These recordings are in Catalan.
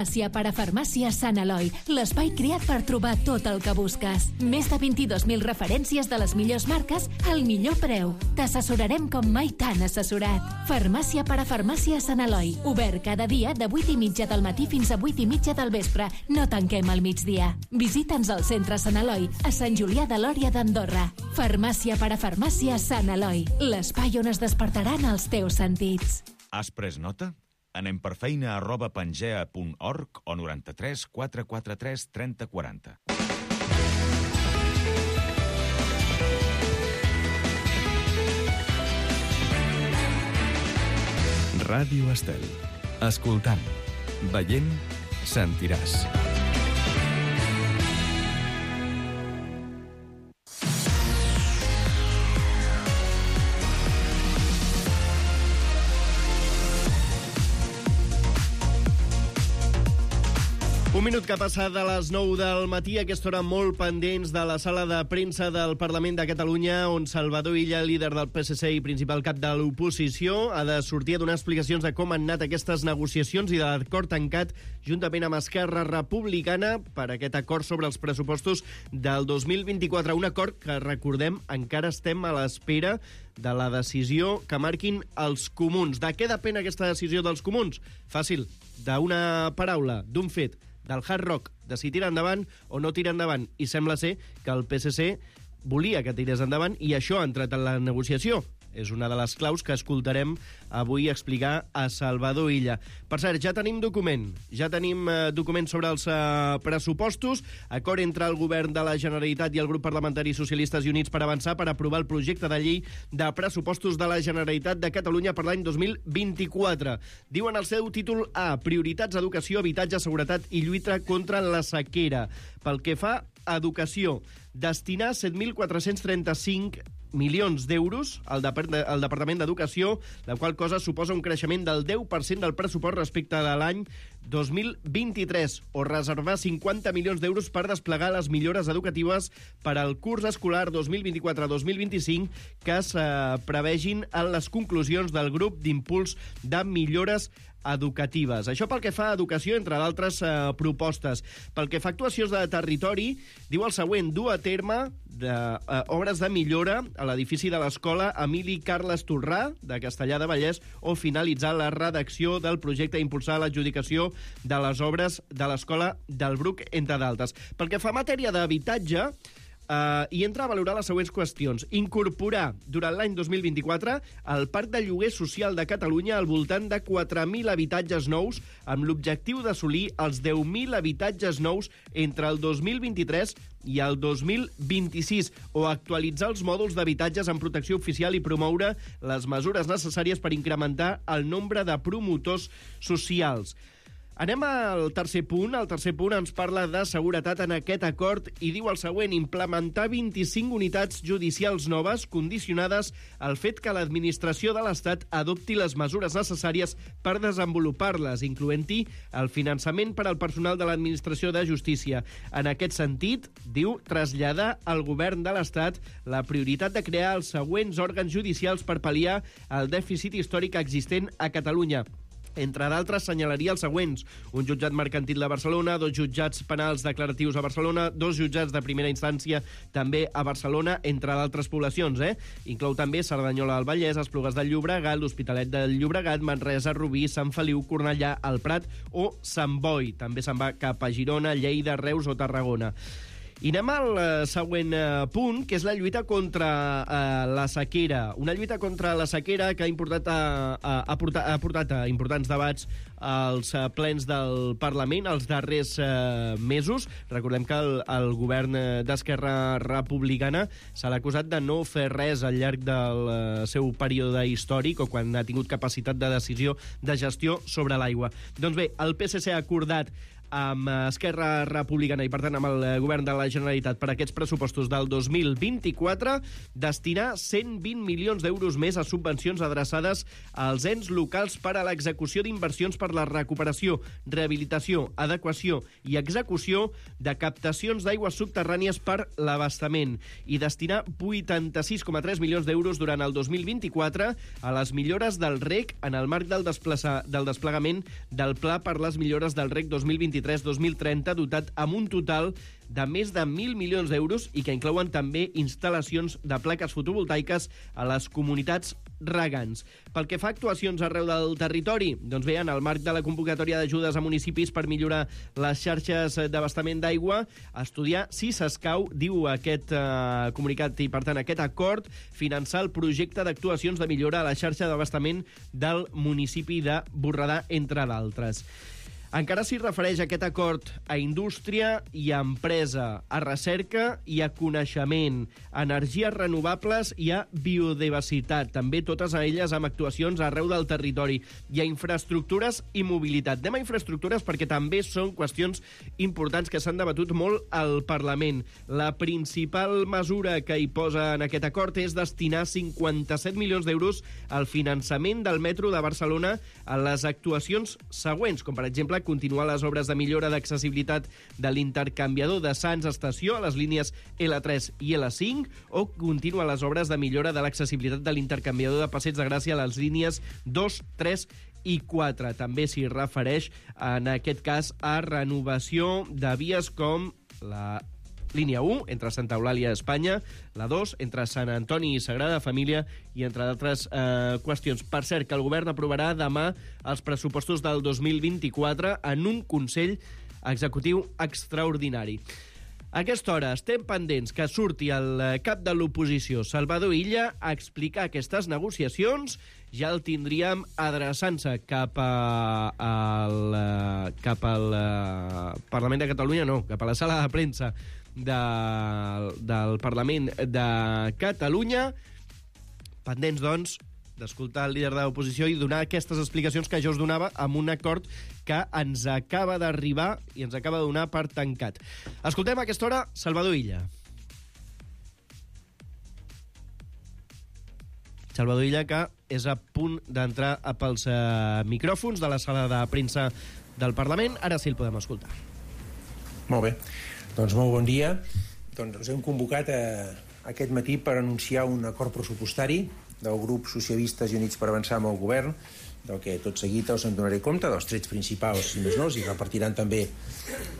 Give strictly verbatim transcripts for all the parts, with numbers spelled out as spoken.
Farmàcia per a Farmàcia Sant Eloi, l'espai creat per trobar tot el que busques. Més de vint-i-dos mil referències de les millors marques al millor preu. T'assessorarem com mai t'han assessorat. Farmàcia per a Farmàcia Sant Eloi, obert cada dia de vuit i mitja del matí fins a vuit i mitja del vespre. No tanquem al migdia. Visita'ns al centre Sant Eloi, a Sant Julià de Lòria d'Andorra. Farmàcia per a Farmàcia Sant Eloi, l'espai on es despertaran els teus sentits. Has pres nota? Anem per feina arroba pangea punt org o noranta-tres quatre quatre tres trenta quaranta. Ràdio Estel. Escoltant, veient, sentiràs. Un minut que ha passat a les nou del matí, a aquesta hora molt pendents de la sala de premsa del Parlament de Catalunya, on Salvador Illa, líder del P S C i principal cap de l'oposició, ha de sortir a donar explicacions de com han anat aquestes negociacions i de l'acord tancat juntament amb Esquerra Republicana per aquest acord sobre els pressupostos del dos mil vint-i-quatre. Un acord que, recordem, encara estem a l'espera de la decisió que marquin els comuns. De què depèn aquesta decisió dels comuns? Fàcil, d'una paraula, d'un fet, del Hard Rock, de si tira endavant o no tira endavant. I sembla ser que el P S C volia que tirés endavant i això ha entrat en la negociació. És una de les claus que escoltarem avui explicar a Salvador Illa. Per cert, ja tenim document. Ja tenim eh, document sobre els eh, pressupostos. Acord entre el govern de la Generalitat i el grup parlamentari Socialistes i Units per avançar per aprovar el projecte de llei de pressupostos de la Generalitat de Catalunya per l'any dos mil vint-i-quatre. Diuen el seu títol A, prioritats, educació, habitatge, seguretat i lluita contra la sequera. Pel que fa a educació, destinar set mil quatre-cents trenta-cinc milions d'euros al, Depart al Departament d'Educació, la qual cosa suposa un creixement del deu per cent del pressupost respecte de l'any dos mil vint-i-tres, o reservar cinquanta milions d'euros per desplegar les millores educatives per al curs escolar dos mil vint-i-quatre dos mil vint-i-cinc que es eh, prevegin en les conclusions del grup d'impuls de millores educatives. Això pel que fa a educació, entre d'altres eh, propostes. Pel que fa a actuacions de territori, diu el següent: dur a terme de, eh, obres de millora a l'edifici de l'escola Emili Carles Torrà, de Castellar de Vallès, o finalitzar la redacció del projecte i impulsar l'adjudicació de les obres de l'escola del Bruc, entre d'altres. Pel que fa a matèria d'habitatge, Uh, i entra a valorar les següents qüestions. Incorporar durant l'any dos mil vint-i-quatre el parc de lloguer social de Catalunya al voltant de quatre mil habitatges nous, amb l'objectiu d'assolir els deu mil habitatges nous entre el dos mil vint-i-tres i el dos mil vint-i-sis, o actualitzar els mòduls d'habitatges en protecció oficial i promoure les mesures necessàries per incrementar el nombre de promotors socials. Anem al tercer punt. El tercer punt ens parla de seguretat en aquest acord i diu el següent: implementar vint-i-cinc unitats judicials noves condicionades al fet que l'administració de l'Estat adopti les mesures necessàries per desenvolupar-les, incloent-hi el finançament per al personal de l'administració de justícia. En aquest sentit, diu, traslladar al govern de l'Estat la prioritat de crear els següents òrgans judicials per pal·liar el dèficit històric existent a Catalunya. Entre d'altres, senyalaria els següents: un jutjat mercantil de Barcelona, dos jutjats penals declaratius a Barcelona, dos jutjats de primera instància també a Barcelona, entre d'altres poblacions, eh? Inclou també Cerdanyola del Vallès, Esplugues del Llobregat, l'Hospitalet del Llobregat, Manresa, Rubí, Sant Feliu, Cornellà, el Prat o Sant Boi. També se'n va cap a Girona, Lleida, Reus o Tarragona. I anem al uh, següent uh, punt, que és la lluita contra uh, la sequera. Una lluita contra la sequera que ha, importat a, a, ha, portat, ha portat a importants debats als uh, plens del Parlament els darrers uh, mesos. Recordem que el, el govern d'Esquerra Republicana se l'ha acusat de no fer res al llarg del uh, seu període històric o quan ha tingut capacitat de decisió de gestió sobre l'aigua. Doncs bé, el P S C ha acordat amb Esquerra Republicana i, per tant, amb el govern de la Generalitat per aquests pressupostos del dos mil vint-i-quatre, destinar cent vint milions d'euros més a subvencions adreçades als ens locals per a l'execució d'inversions per la recuperació, rehabilitació, adequació i execució de captacions d'aigües subterrànies per l'abastament i destinar vuitanta-sis coma tres milions d'euros durant el dos mil vint-i-quatre a les millores del reg en el marc del, desplaça, del desplegament del Pla per les millores del reg dos mil vint-i-tres dos mil trenta, dotat amb un total de més de mil milions d'euros i que inclouen també instal·lacions de plaques fotovoltaiques a les comunitats regants. Pel que fa a actuacions arreu del territori, doncs bé, en el marc de la convocatòria d'ajudes a municipis per millorar les xarxes d'abastament d'aigua, estudiar si s'escau, diu aquest eh, comunicat i, per tant, aquest acord, finançar el projecte d'actuacions de millora a la xarxa d'abastament del municipi de Borredà, entre d'altres. Encara s'hi refereix aquest acord a indústria i a empresa, a recerca i a coneixement, a energies renovables i a biodiversitat, també totes elles amb actuacions arreu del territori, i a infraestructures i mobilitat. Anem a infraestructures perquè també són qüestions importants que s'han debatut molt al Parlament. La principal mesura que hi posa en aquest acord és destinar cinquanta-set milions d'euros al finançament del metro de Barcelona a les actuacions següents, com per exemple continuar les obres de millora d'accessibilitat de l'intercanviador de Sants Estació a les línies L tres i L cinc o continuar les obres de millora de l'accessibilitat de l'intercanviador de Passeig de Gràcia a les línies dos, tres i quatre. També s'hi refereix, en aquest cas, a renovació de vies com la línia u, entre Santa Eulàlia i Espanya, la dos, entre Sant Antoni i Sagrada Família, i entre d'altres eh, qüestions. Per cert, que el govern aprovarà demà els pressupostos del dos mil vint-i-quatre en un Consell Executiu extraordinari. A aquesta hora estem pendents que surti el cap de l'oposició, Salvador Illa, a explicar aquestes negociacions. Ja el tindríem adreçant-se cap, a, al, cap al Parlament de Catalunya, no, cap a la sala de premsa de, del Parlament de Catalunya. Pendents, doncs, d'escoltar el líder de l'oposició i donar aquestes explicacions que jo us donava amb un acord que ens acaba d'arribar i ens acaba de donar per tancat. Escoltem a aquesta hora Salvador Illa. Salvador Illa, que és a punt d'entrar pels eh, micròfons de la sala de premsa del Parlament. Ara sí el podem escoltar. Molt bé. Doncs molt bon dia. Doncs ens hem convocat a, aquest matí per anunciar un acord pressupostari del grup Socialistes i Units per Avançar amb el govern, del que tot seguit us en donaré compte, dels trets principals, si més no, i repartiran també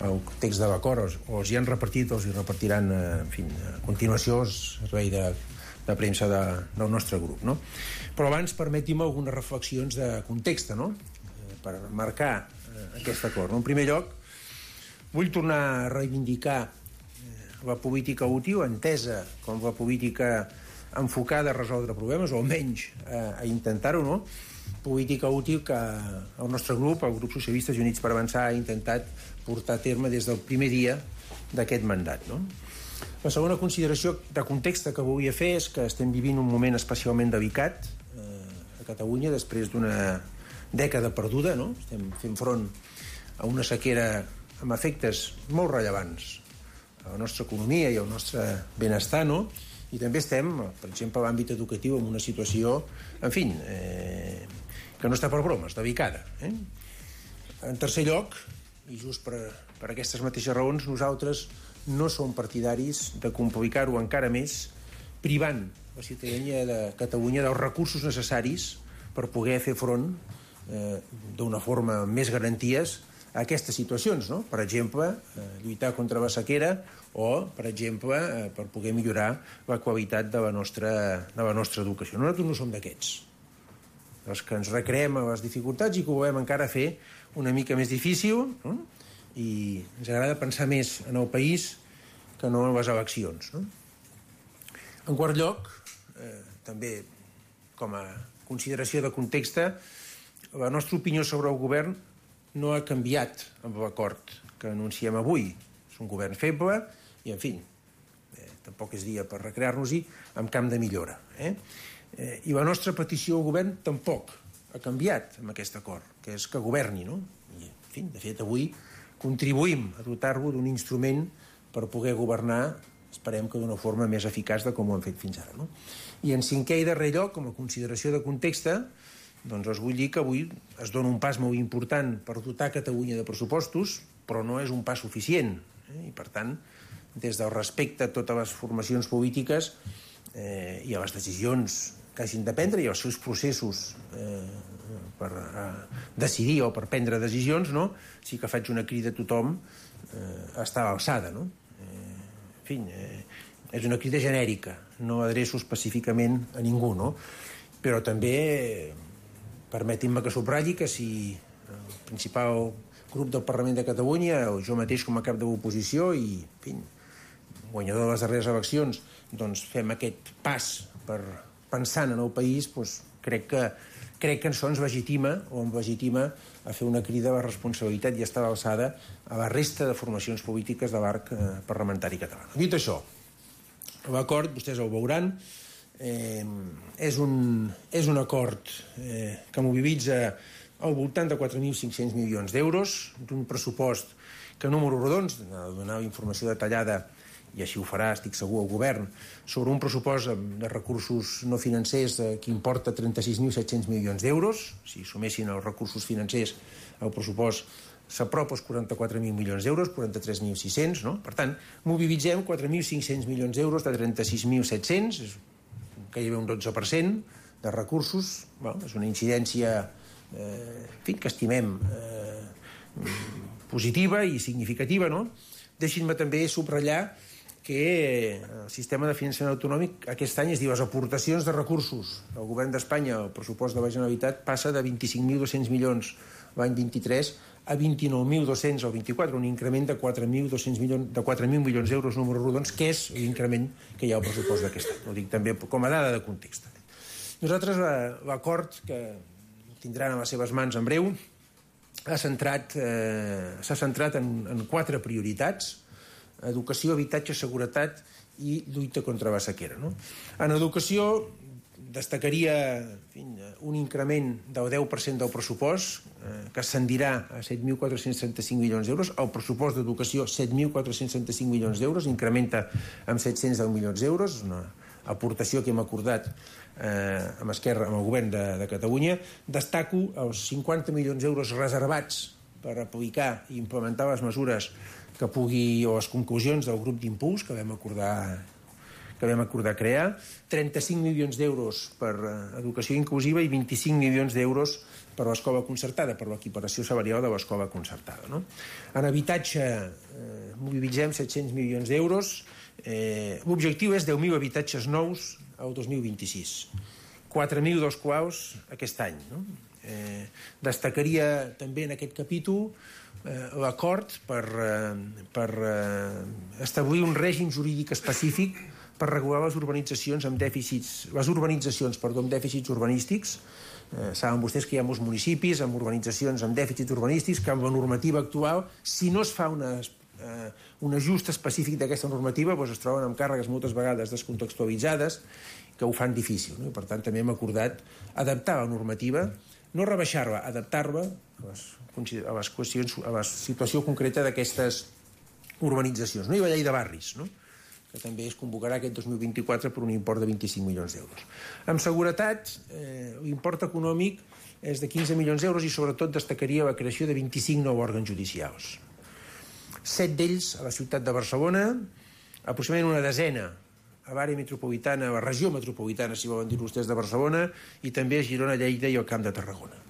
el text de l'acord, o els hi han repartit o els hi repartiran, en fi, a continuació el servei de, de premsa de, del nostre grup, no? Però abans permetim algunes reflexions de context, no?, per marcar aquest acord. En primer lloc, vull tornar a reivindicar la política útil, entesa com la política enfocada a resoldre problemes, o almenys a, a intentar-ho, no? Política útil que el nostre grup, el grup Socialistes i Units per Avançar, ha intentat portar a terme des del primer dia d'aquest mandat, no? La segona consideració de context que volia fer és que estem vivint un moment especialment delicat eh, a Catalunya després d'una dècada perduda, no? Estem fent front a una sequera amb efectes molt rellevants a la nostra economia i al nostre benestar, no? I també estem, per exemple, a l'àmbit educatiu, en una situació, en fi, eh, que no està per bromes, delicada. Eh? En tercer lloc, i just per, per aquestes mateixes raons, nosaltres no som partidaris de complicar-ho encara més, privant la ciutadania de Catalunya dels recursos necessaris per poder fer front eh, d'una forma amb més garanties a aquestes situacions, no? Per exemple, eh, lluitar contra la sequera o, per exemple, eh, per poder millorar la qualitat de la nostra, de la nostra educació. Nosaltres no som d'aquests, els que ens recreem a les dificultats i que ho volem encara fer una mica més difícil, no? I ens agrada pensar més en el país que no en les eleccions, no? En quart lloc, eh, també com a consideració de context, la nostra opinió sobre el govern no ha canviat amb l'acord que anunciem avui. És un govern feble i, en fi, eh, tampoc és dia per recrear-nos-hi, amb camp de millora. Eh? Eh, I la nostra petició al govern tampoc ha canviat amb aquest acord, que és que governi, no? I, en fi, de fet, avui contribuïm a dotar-lo d'un instrument per poder governar, esperem que d'una forma més eficaç de com ho hem fet fins ara. No? I en cinquè i darrer lloc, com a consideració de context, doncs us vull dir que avui es dona un pas molt important per dotar Catalunya de pressupostos, però no és un pas suficient. Eh? I per tant, des del respecte a totes les formacions polítiques eh, i a les decisions que hagin de prendre i als seus processos eh, per eh, decidir o per prendre decisions, no? Sí que faig una crida a tothom eh, a estar a l'alçada. No? Eh, en fi, eh, és una crida genèrica, no adreço específicament a ningú, no? Però també eh, permetin-me que subratlli que si el principal grup del Parlament de Catalunya o jo mateix com a cap de l'oposició i, en fi, guanyador de les darreres eleccions, doncs fem aquest pas per pensant en el país, doncs crec que, crec que això ens legitima o em legitima a fer una crida a la responsabilitat i estar a l'alçada a la resta de formacions polítiques de l'arc eh, parlamentari català. Dit això, l'acord, vostès el veuran, eh, és, un, és un acord eh, que mobilitza al voltant de quatre mil cinc-cents milions d'euros, d'un pressupost que a números rodons, de donar informació detallada i així ho farà, estic segur, el govern, sobre un pressupost de recursos no financers que importa trenta-sis mil set-cents milions d'euros. Si sumessin els recursos financers, el pressupost s'apropa als quaranta-quatre mil milions d'euros, quaranta-tres mil sis-cents, no? Per tant, mobilitzem quatre mil cinc-cents milions d'euros de trenta-sis mil set-cents, gairebé un dotze per cent de recursos. Bueno, és una incidència eh, en fi, que estimem eh, positiva i significativa, no? Deixin-me també subratllar que el sistema de finançament autonòmic aquest any es diu les aportacions de recursos del govern d'Espanya al pressupost de la Generalitat passa de vint-i-cinc mil dos-cents milions l'any vint-i-tres a vint-i-nou mil dos-cents al vint-i-quatre, un increment de quatre mil dos-cents milions, de quatre mil milions d'euros números rodons, que és l'increment que hi ha al pressupost d'aquest any. Ho dic també com a dada de context. Nosaltres l'acord que tindran a les seves mans en breu s'ha centrat, eh, s'ha centrat en, en quatre prioritats: educació, habitatge, seguretat i lluita contra la sequera. No? En educació destacaria en fi, un increment del deu per cent del pressupost, eh, que ascendirà a set mil quatre-cents trenta-cinc milions d'euros. El pressupost d'educació, set mil quatre-cents trenta-cinc milions d'euros, incrementa amb set-cents deu milions d'euros, una aportació que hem acordat eh, amb Esquerra, amb el govern de, de Catalunya. Destaco els cinquanta milions d'euros reservats per aplicar i implementar les mesures que pugui, o les conclusions del grup d'impuls que vam acordar que vam acordar crear, trenta-cinc milions d'euros per educació inclusiva i vint-i-cinc milions d'euros per l'escola concertada, per l'equiparació salarial de l'escola concertada. No? En habitatge eh, mobilitzem set-cents milions d'euros. Eh, l'objectiu és deu mil habitatges nous al dos mil vint-i-sis, quatre mil dels quals aquest any. No? Eh, destacaria també en aquest capítol eh, l'acord per, eh, per eh, establir un règim jurídic específic per regular les urbanitzacions amb dèficits, les urbanitzacions, perdó, amb dèficits urbanístics. Eh, saben vostès que hi ha molts municipis amb urbanitzacions amb dèficits urbanístics que amb la normativa actual, si no es fa una, eh, un ajust específic d'aquesta normativa, doncs es troben amb càrregues moltes vegades descontextualitzades que ho fan difícil. No? I per tant també hem acordat adaptar la normativa, no rebaixar-la, adaptar-la a les, a les qüestions, a la situació concreta d'aquestes urbanitzacions. No? I la llei de barris, no? que també es convocarà aquest dos mil vint-i-quatre per un import de vint-i-cinc milions d'euros. Amb seguretat, eh, l'import econòmic és de quinze milions d'euros i sobretot destacaria la creació de vint-i-cinc nous òrgans judicials. Set d'ells a la ciutat de Barcelona, aproximadament una desena a l'àrea metropolitana, a la regió metropolitana, si volen dir vostès, de Barcelona, i també a Girona, Lleida i al Camp de Tarragona.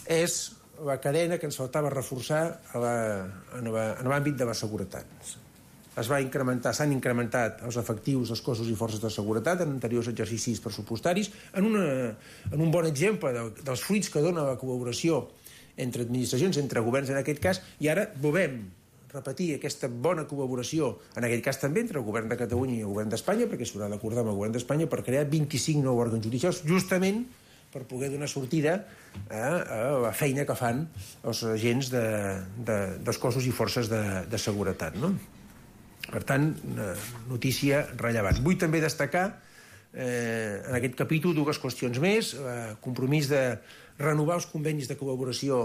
És la cadena que ens faltava reforçar en l'àmbit de la seguretat. Es va incrementar, s'han incrementat els efectius dels cossos i forces de seguretat en anteriors exercicis pressupostaris, en, una, en un bon exemple de, dels fruits que dona la col·laboració entre administracions, entre governs en aquest cas, i ara volem repetir aquesta bona col·laboració, en aquest cas també entre el govern de Catalunya i el govern d'Espanya, perquè s'haurà d'acordar amb el govern d'Espanya per crear vint-i-cinc nous òrgans judicials, justament per poder donar sortida a, a la feina que fan els agents de, de, dels cossos i forces de, de seguretat, no? Per tant, notícia rellevant. Vull també destacar eh, en aquest capítol dues qüestions més. El compromís de renovar els convenis de col·laboració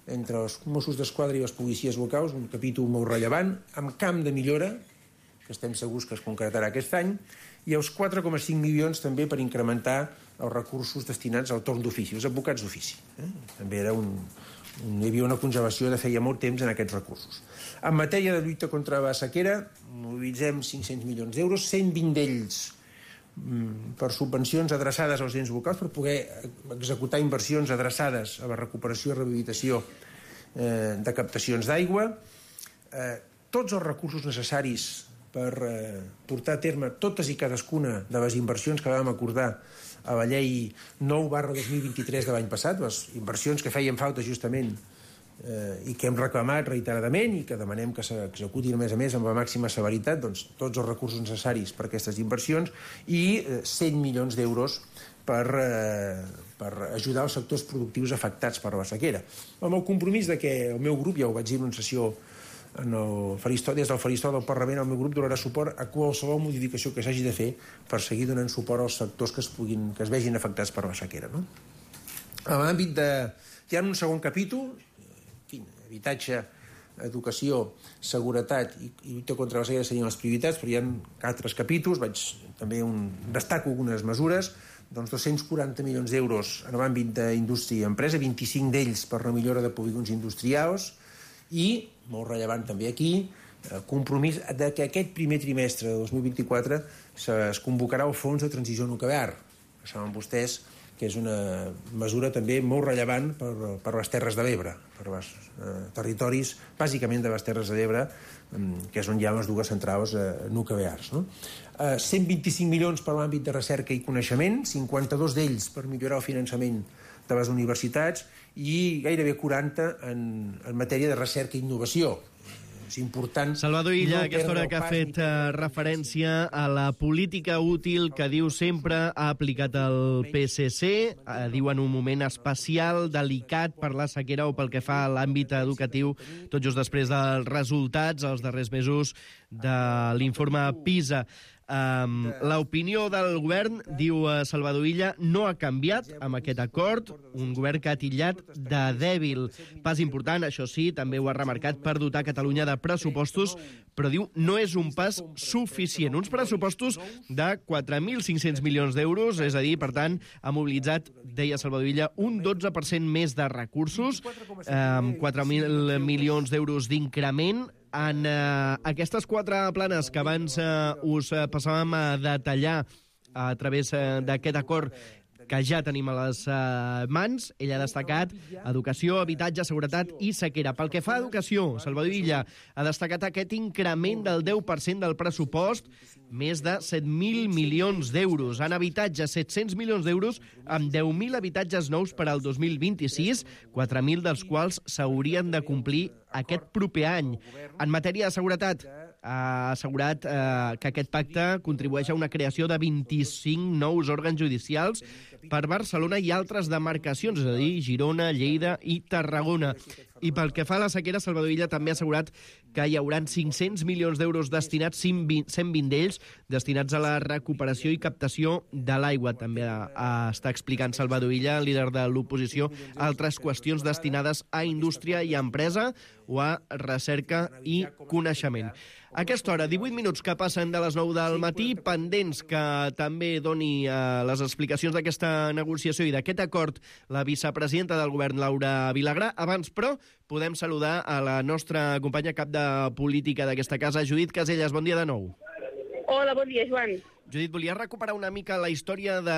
entre els Mossos d'Esquadra i les policies locals, un capítol molt rellevant, amb camp de millora, que estem segurs que es concretarà aquest any, i els quatre coma cinc milions també per incrementar els recursos destinats al torn d'ofici, els advocats d'ofici. Eh? També era un, un, hi havia una congelació de feia molt temps en aquests recursos. En matèria de lluita contra la sequera, mobilitzem cinc-cents milions d'euros, cent vint d'ells per subvencions adreçades als ens locals per poder executar inversions adreçades a la recuperació i rehabilitació eh, de captacions d'aigua, eh, tots els recursos necessaris per eh, portar a terme totes i cadascuna de les inversions que vam acordar a la llei nou barra dos mil vint-i-tres de l'any passat, les inversions que feien falta justament eh, i que hem reclamat reiteradament i que demanem que s'executin a més a més amb la màxima severitat, doncs, tots els recursos necessaris per a aquestes inversions i eh, cent milions d'euros per, eh, per ajudar els sectors productius afectats per la sequera. Amb el compromís de que el meu grup, ja ho vaig dir en una sessió en el faristol, des del faristol del Parlament, el meu grup donarà suport a qualsevol modificació que s'hagi de fer per seguir donant suport als sectors que es, puguin, que es vegin afectats per la sequera. No? En l'àmbit de... Hi ha un segon capítol, habitatge, educació, seguretat i, i lluita contra la sequera serien les prioritats, però hi ha altres capítols, vaig també un, destaco algunes mesures, doncs dos-cents quaranta milions d'euros en l'àmbit d'indústria i empresa, vint-i-cinc d'ells per la millora de polígons industrials i, molt rellevant també aquí, compromís de que aquest primer trimestre de dos mil vint-i-quatre es convocarà el Fons de Transició Nuclear. Saben vostès que és una mesura també molt rellevant per, per les Terres de l'Ebre, per els eh, territoris, bàsicament de les Terres de l'Ebre, eh, que és on hi ha les dues centrals eh, nuclears. No? Eh, cent vint-i-cinc milions per l'àmbit de recerca i coneixement, cinquanta-dos d'ells per millorar el finançament de les universitats i gairebé quaranta en, en matèria de recerca i innovació. És important... Salvador Illa, no aquesta hora que ha fet uh, referència a la política útil que diu sempre ha aplicat el P S C, uh, diu en un moment especial, delicat per la sequera o pel que fa a l'àmbit educatiu, tot just després dels resultats, els darrers mesos, de l'informe PISA. Um, L'opinió del govern, diu uh, Salvador Illa, no ha canviat amb aquest acord, un govern que ha titllat de dèbil. Pas important, això sí, també ho ha remarcat, per dotar Catalunya de pressupostos, però diu no és un pas suficient. Uns pressupostos de quatre mil cinc-cents milions d'euros, és a dir, per tant, ha mobilitzat, deia Salvador Illa, un dotze per cent més de recursos, amb um, quatre mil milions d'euros d'increment. En eh, aquestes quatre planes que abans eh, us eh, passàvem a detallar a través eh, d'aquest acord que ja tenim a les eh, mans, ell ha destacat educació, habitatge, seguretat i sequera. Pel que fa a educació, Salvador Illa ha destacat aquest increment del deu per cent del pressupost, més de set mil milions d'euros. En habitatge, set-cents milions d'euros, amb deu mil habitatges nous per al dos mil vint-i-sis, quatre mil dels quals s'haurien de complir aquest proper any. En matèria de seguretat, ha assegurat eh, que aquest pacte contribueix a una creació de vint-i-cinc nous òrgans judicials per Barcelona i altres demarcacions, és a dir, Girona, Lleida i Tarragona. I pel que fa a la sequera, Salvador Illa també ha assegurat que hi haurà cinc-cents milions d'euros destinats, cent vint d'ells destinats a la recuperació i captació de l'aigua. També a, a, està explicant Salvador Illa, líder de l'oposició, altres qüestions destinades a indústria i a empresa o a recerca i coneixement. A aquesta hora, divuit minuts que passen de les nou del matí, pendents que també doni eh, les explicacions d'aquesta negociació i d'aquest acord la vicepresidenta del govern, Laura Vilagrà. Abans, però, podem saludar a la nostra companya cap de política d'aquesta casa, Judit Caselles. Bon dia de nou. Hola, bon dia, Joan. Judit, volia recuperar una mica la història de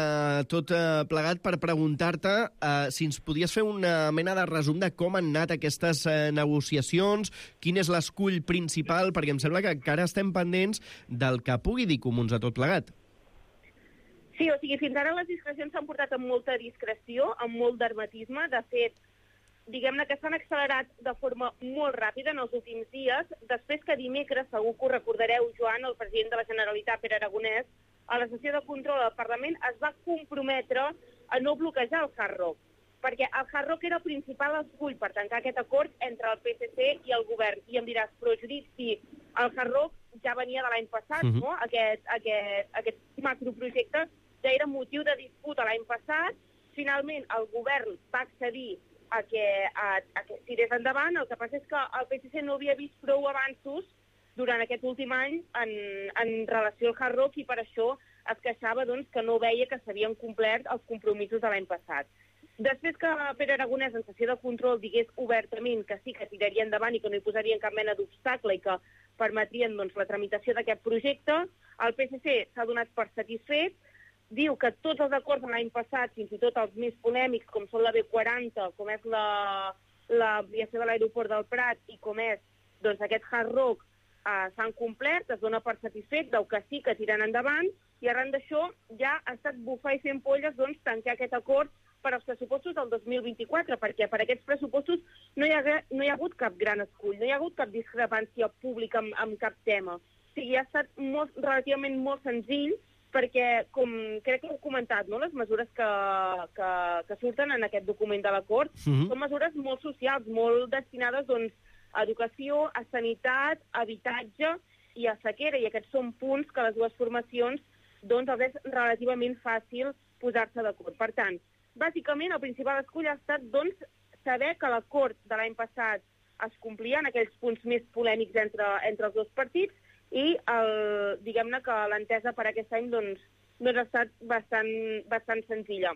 tot eh, plegat per preguntar-te eh, si ens podies fer una mena de resum de com han anat aquestes eh, negociacions, quin és l'escull principal, perquè em sembla que encara estem pendents del que pugui dir Comuns a tot plegat. Sí, o sigui, fins ara les discrecions s'han portat amb molta discreció, amb molt d'hermetisme. De fet, diguem-ne que s'han accelerat de forma molt ràpida en els últims dies, després que dimecres, segur que ho recordareu, Joan, el president de la Generalitat, Pere Aragonès, a la sessió de control del Parlament es va comprometre a no bloquejar el Hard Rock, perquè el Hard Rock era el principal escull per tancar aquest acord entre el P S C i el govern. I em diràs, però Judit, si el Hard Rock ja venia de l'any passat, uh-huh. no? Aquest, aquest, aquest macroprojecte ja era motiu de disputa l'any passat. Finalment, el govern va accedir a que, a, a que tirés endavant. El que passa és que el P S C no havia vist prou avanços durant aquest últim any en, en relació al Hard Rock i per això es queixava doncs, que no veia que s'havien complert els compromisos de l'any passat. Després que Pere Aragonès, en sessió de control, digués obertament que sí que tiraria endavant i que no hi posarien cap mena d'obstacle i que permetrien doncs, la tramitació d'aquest projecte, el P S C s'ha donat per satisfet, diu que tots els acords de l'any passat, fins i tot els més polèmics, com són la B quaranta, com és l'ampliació la, de l'aeroport del Prat i com és doncs, aquest Hard Rock, eh, s'han complert, es dona per satisfet, deu que sí que tiren endavant, i arran d'això ja ha estat bufar i fent polles doncs, tancar aquest acord per als pressupostos del dos mil vint-i-quatre, perquè per aquests pressupostos no hi ha, no hi ha hagut cap gran escull, no hi ha hagut cap discrepància pública amb, amb cap tema. O sigui, ha estat molt, relativament molt senzill, perquè, com crec que heu comentat, no? Les mesures que, que, que surten en aquest document de l'acord mm-hmm. són mesures molt socials, molt destinades doncs, a educació, a sanitat, a habitatge i a sequera, i aquests són punts que les dues formacions doncs, els és relativament fàcil posar-se d'acord. Per tant, bàsicament, el principal escull ha estat doncs, saber que l'acord de l'any passat es complia en aquells punts més polèmics entre, entre els dos partits i el, diguem-ne que l'entesa per aquest any doncs, doncs ha estat bastant, bastant senzilla.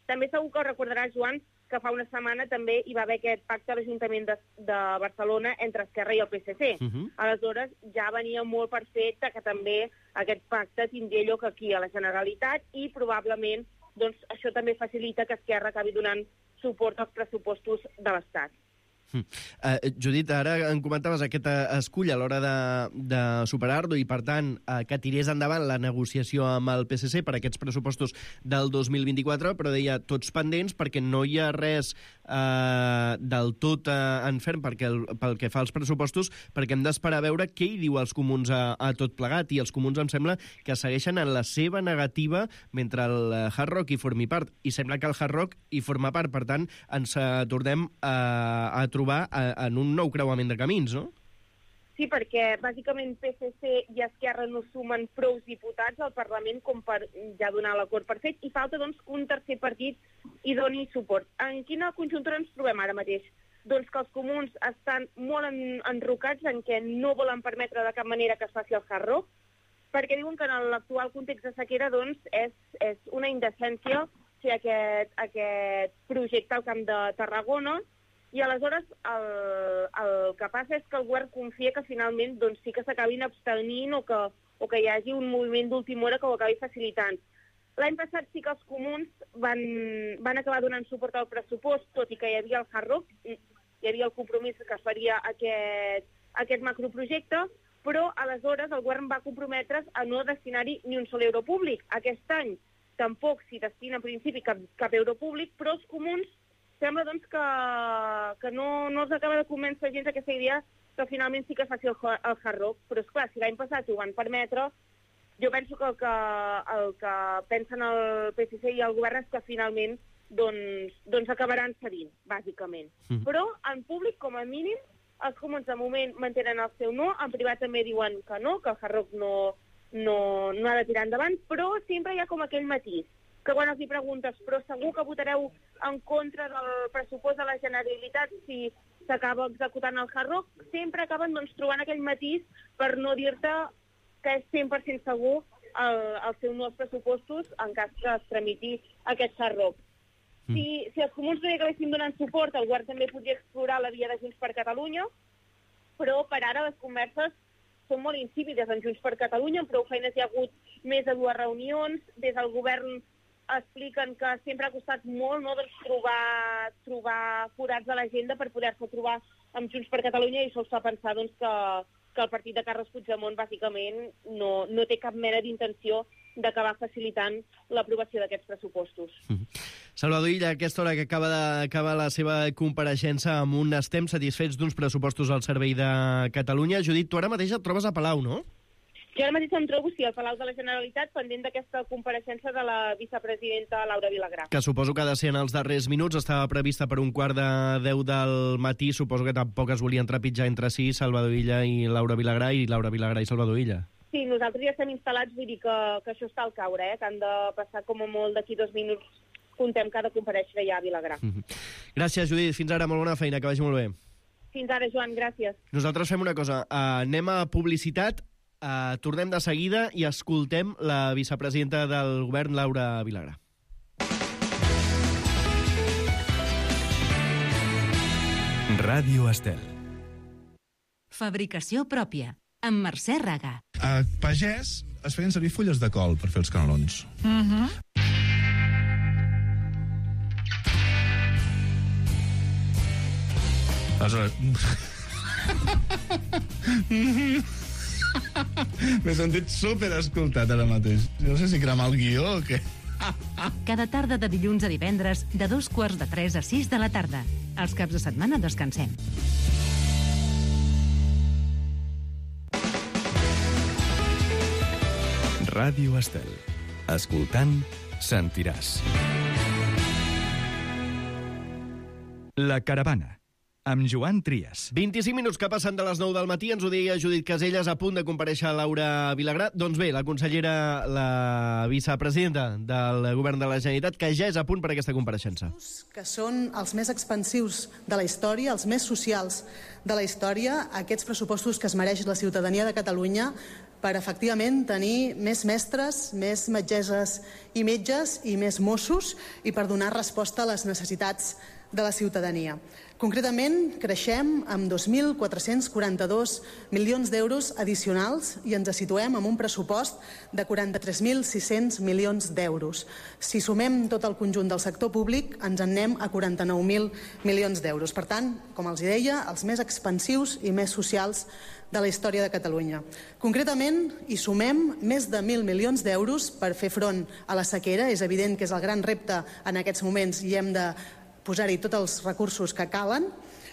També segur que recordaràs, Joan, que fa una setmana també hi va haver aquest pacte a l'Ajuntament de, de Barcelona entre Esquerra i el P S C. Uh-huh. Aleshores, ja venia molt per fet que també aquest pacte tindria lloc aquí a la Generalitat i probablement doncs això també facilita que Esquerra acabi donant suport als pressupostos de l'Estat. Uh, Judit, ara em comentaves aquest escull a l'hora de, de superar-lo i, per tant, uh, que tirés endavant la negociació amb el P S C per aquests pressupostos del dos mil vint-i-quatre, però deia tots pendents perquè no hi ha res uh, del tot uh, en ferm perquè el, pel que fa als pressupostos, perquè hem d'esperar a veure què hi diu els comuns a, a tot plegat, i els comuns em sembla que segueixen en la seva negativa mentre el Hard Rock hi formi part, i sembla que el Hard Rock hi forma part, per tant, ens uh, tornem uh, a trobar en un nou creuament de camins, no? Sí, perquè bàsicament P S C i Esquerra no sumen prou diputats al Parlament com per ja donar l'acord per fet, i falta doncs un tercer partit i doni suport. En quina conjuntura ens trobem ara mateix? Doncs que els comuns estan molt en, enrocats en què no volen permetre de cap manera que es faci el Hard Rock, perquè diuen que en l'actual context de sequera doncs, és, és una indecència fer aquest, aquest projecte al Camp de Tarragona. I aleshores el, el que passa és que el govern confia que finalment doncs, sí que s'acabin abstenint o que, o que hi hagi un moviment d'última hora que ho acabi facilitant. L'any passat sí que els comuns van, van acabar donant suport al pressupost, tot i que hi havia el Hard Rock, hi havia el compromís que es faria aquest, aquest macroprojecte, però aleshores el govern va comprometre's a no destinar-hi ni un sol euro públic. Aquest any tampoc s'hi destina en principi cap, cap euro públic, però els comuns sembla doncs, que, que no, no els acaba de convèncer gens aquesta idea que finalment sí que es faci el, el Hard Rock. Però, esclar, si l'any passat ho van permetre, jo penso que el que, el que pensen el P S C i el govern és que finalment doncs, doncs acabaran cedint, bàsicament. Mm. Però, en públic, com a mínim, els comuns de moment mantenen el seu no, en privat també diuen que no, que el Hard Rock no, no, no ha de tirar endavant, però sempre hi ha com aquell matís, que quan els hi preguntes, però segur que votareu en contra del pressupost de la Generalitat si s'acaba executant el Hard Rock, sempre acaben doncs, trobant aquell matís per no dir-te que és cent per cent segur el, el seu no als pressupostos en cas que es tramiti aquest Hard Rock. Mm. Si, si els comuns no hi acabessin donant suport, el govern també podria explorar la via de Junts per Catalunya, però per ara les converses són molt insípides en Junts per Catalunya, amb prou feines hi ha hagut més de dues reunions, des del govern expliquen que sempre ha costat molt no, doncs, trobar, trobar forats a l'agenda per poder-se trobar amb Junts per Catalunya, i això us fa pensar doncs, que, que el partit de Carles Puigdemont bàsicament no, no té cap mena d'intenció d'acabar facilitant l'aprovació d'aquests pressupostos. Mm-hmm. Salvador Illa, a aquesta hora que acaba d'acabar la seva compareixença amb un estem satisfets d'uns pressupostos al servei de Catalunya. Judit, tu ara mateix et trobes a Palau, no? Jo ara mateix em trobo, sí, al Palau de la Generalitat, pendent d'aquesta compareixença de la vicepresidenta Laura Vilagrà. Que suposo que ha de ser en els darrers minuts, estava prevista per un quart de deu del matí, suposo que tampoc es volien trepitjar entre si Salvador Illa i Laura Vilagrà, i Laura Vilagrà i Salvador Illa. Sí, nosaltres ja estem instal·lats, vull dir que, que això està al caure, eh? Que han de passar com a molt d'aquí dos minuts comptem que ha de comparèixer ja a Vilagrà. Mm-hmm. Gràcies, Judit. Fins ara, molt bona feina, que vagi molt bé. Fins ara, Joan, gràcies. Nosaltres fem una cosa, uh, anem a publicitat, uh, tornem de seguida i escoltem la vicepresidenta del govern, Laura Vilagrà. Ràdio Estel. Fabricació pròpia, amb Mercè Raga. A Pagès es feien servir fulles de col per fer els canelons. Mhm. Aleshores... M'he sentit super escoltat ara mateix. No sé si cremar el guió o què. Cada tarda de dilluns a divendres, de dos quarts de tres a sis de la tarda. Els caps de setmana descansem. Ràdio Estel. Escoltant, sentiràs. La Caravana, amb Joan Trias. vint-i-cinc minuts que passen de les nou del matí, ens ho deia Judit Caselles, a punt de comparèixer Laura Vilagrà. Doncs bé, la consellera, la vicepresidenta del govern de la Generalitat, que ja és a punt per aquesta compareixença. Que són els més expansius de la història, els més socials de la història, aquests pressupostos que es mereix la ciutadania de Catalunya per efectivament tenir més mestres, més metgesses i metges i més Mossos i per donar resposta a les necessitats de la ciutadania. Concretament, creixem amb dos mil quatre-cents quaranta-dos milions d'euros addicionals i ens situem amb un pressupost de quaranta-tres mil sis-cents milions d'euros. Si sumem tot el conjunt del sector públic, ens en anem a quaranta-nou mil milions d'euros. Per tant, com els deia, els més expansius i més socials de la història de Catalunya. Concretament, hi sumem més de mil milions d'euros per fer front a la sequera. És evident que és el gran repte en aquests moments i hem de posar-hi tots els recursos que calen.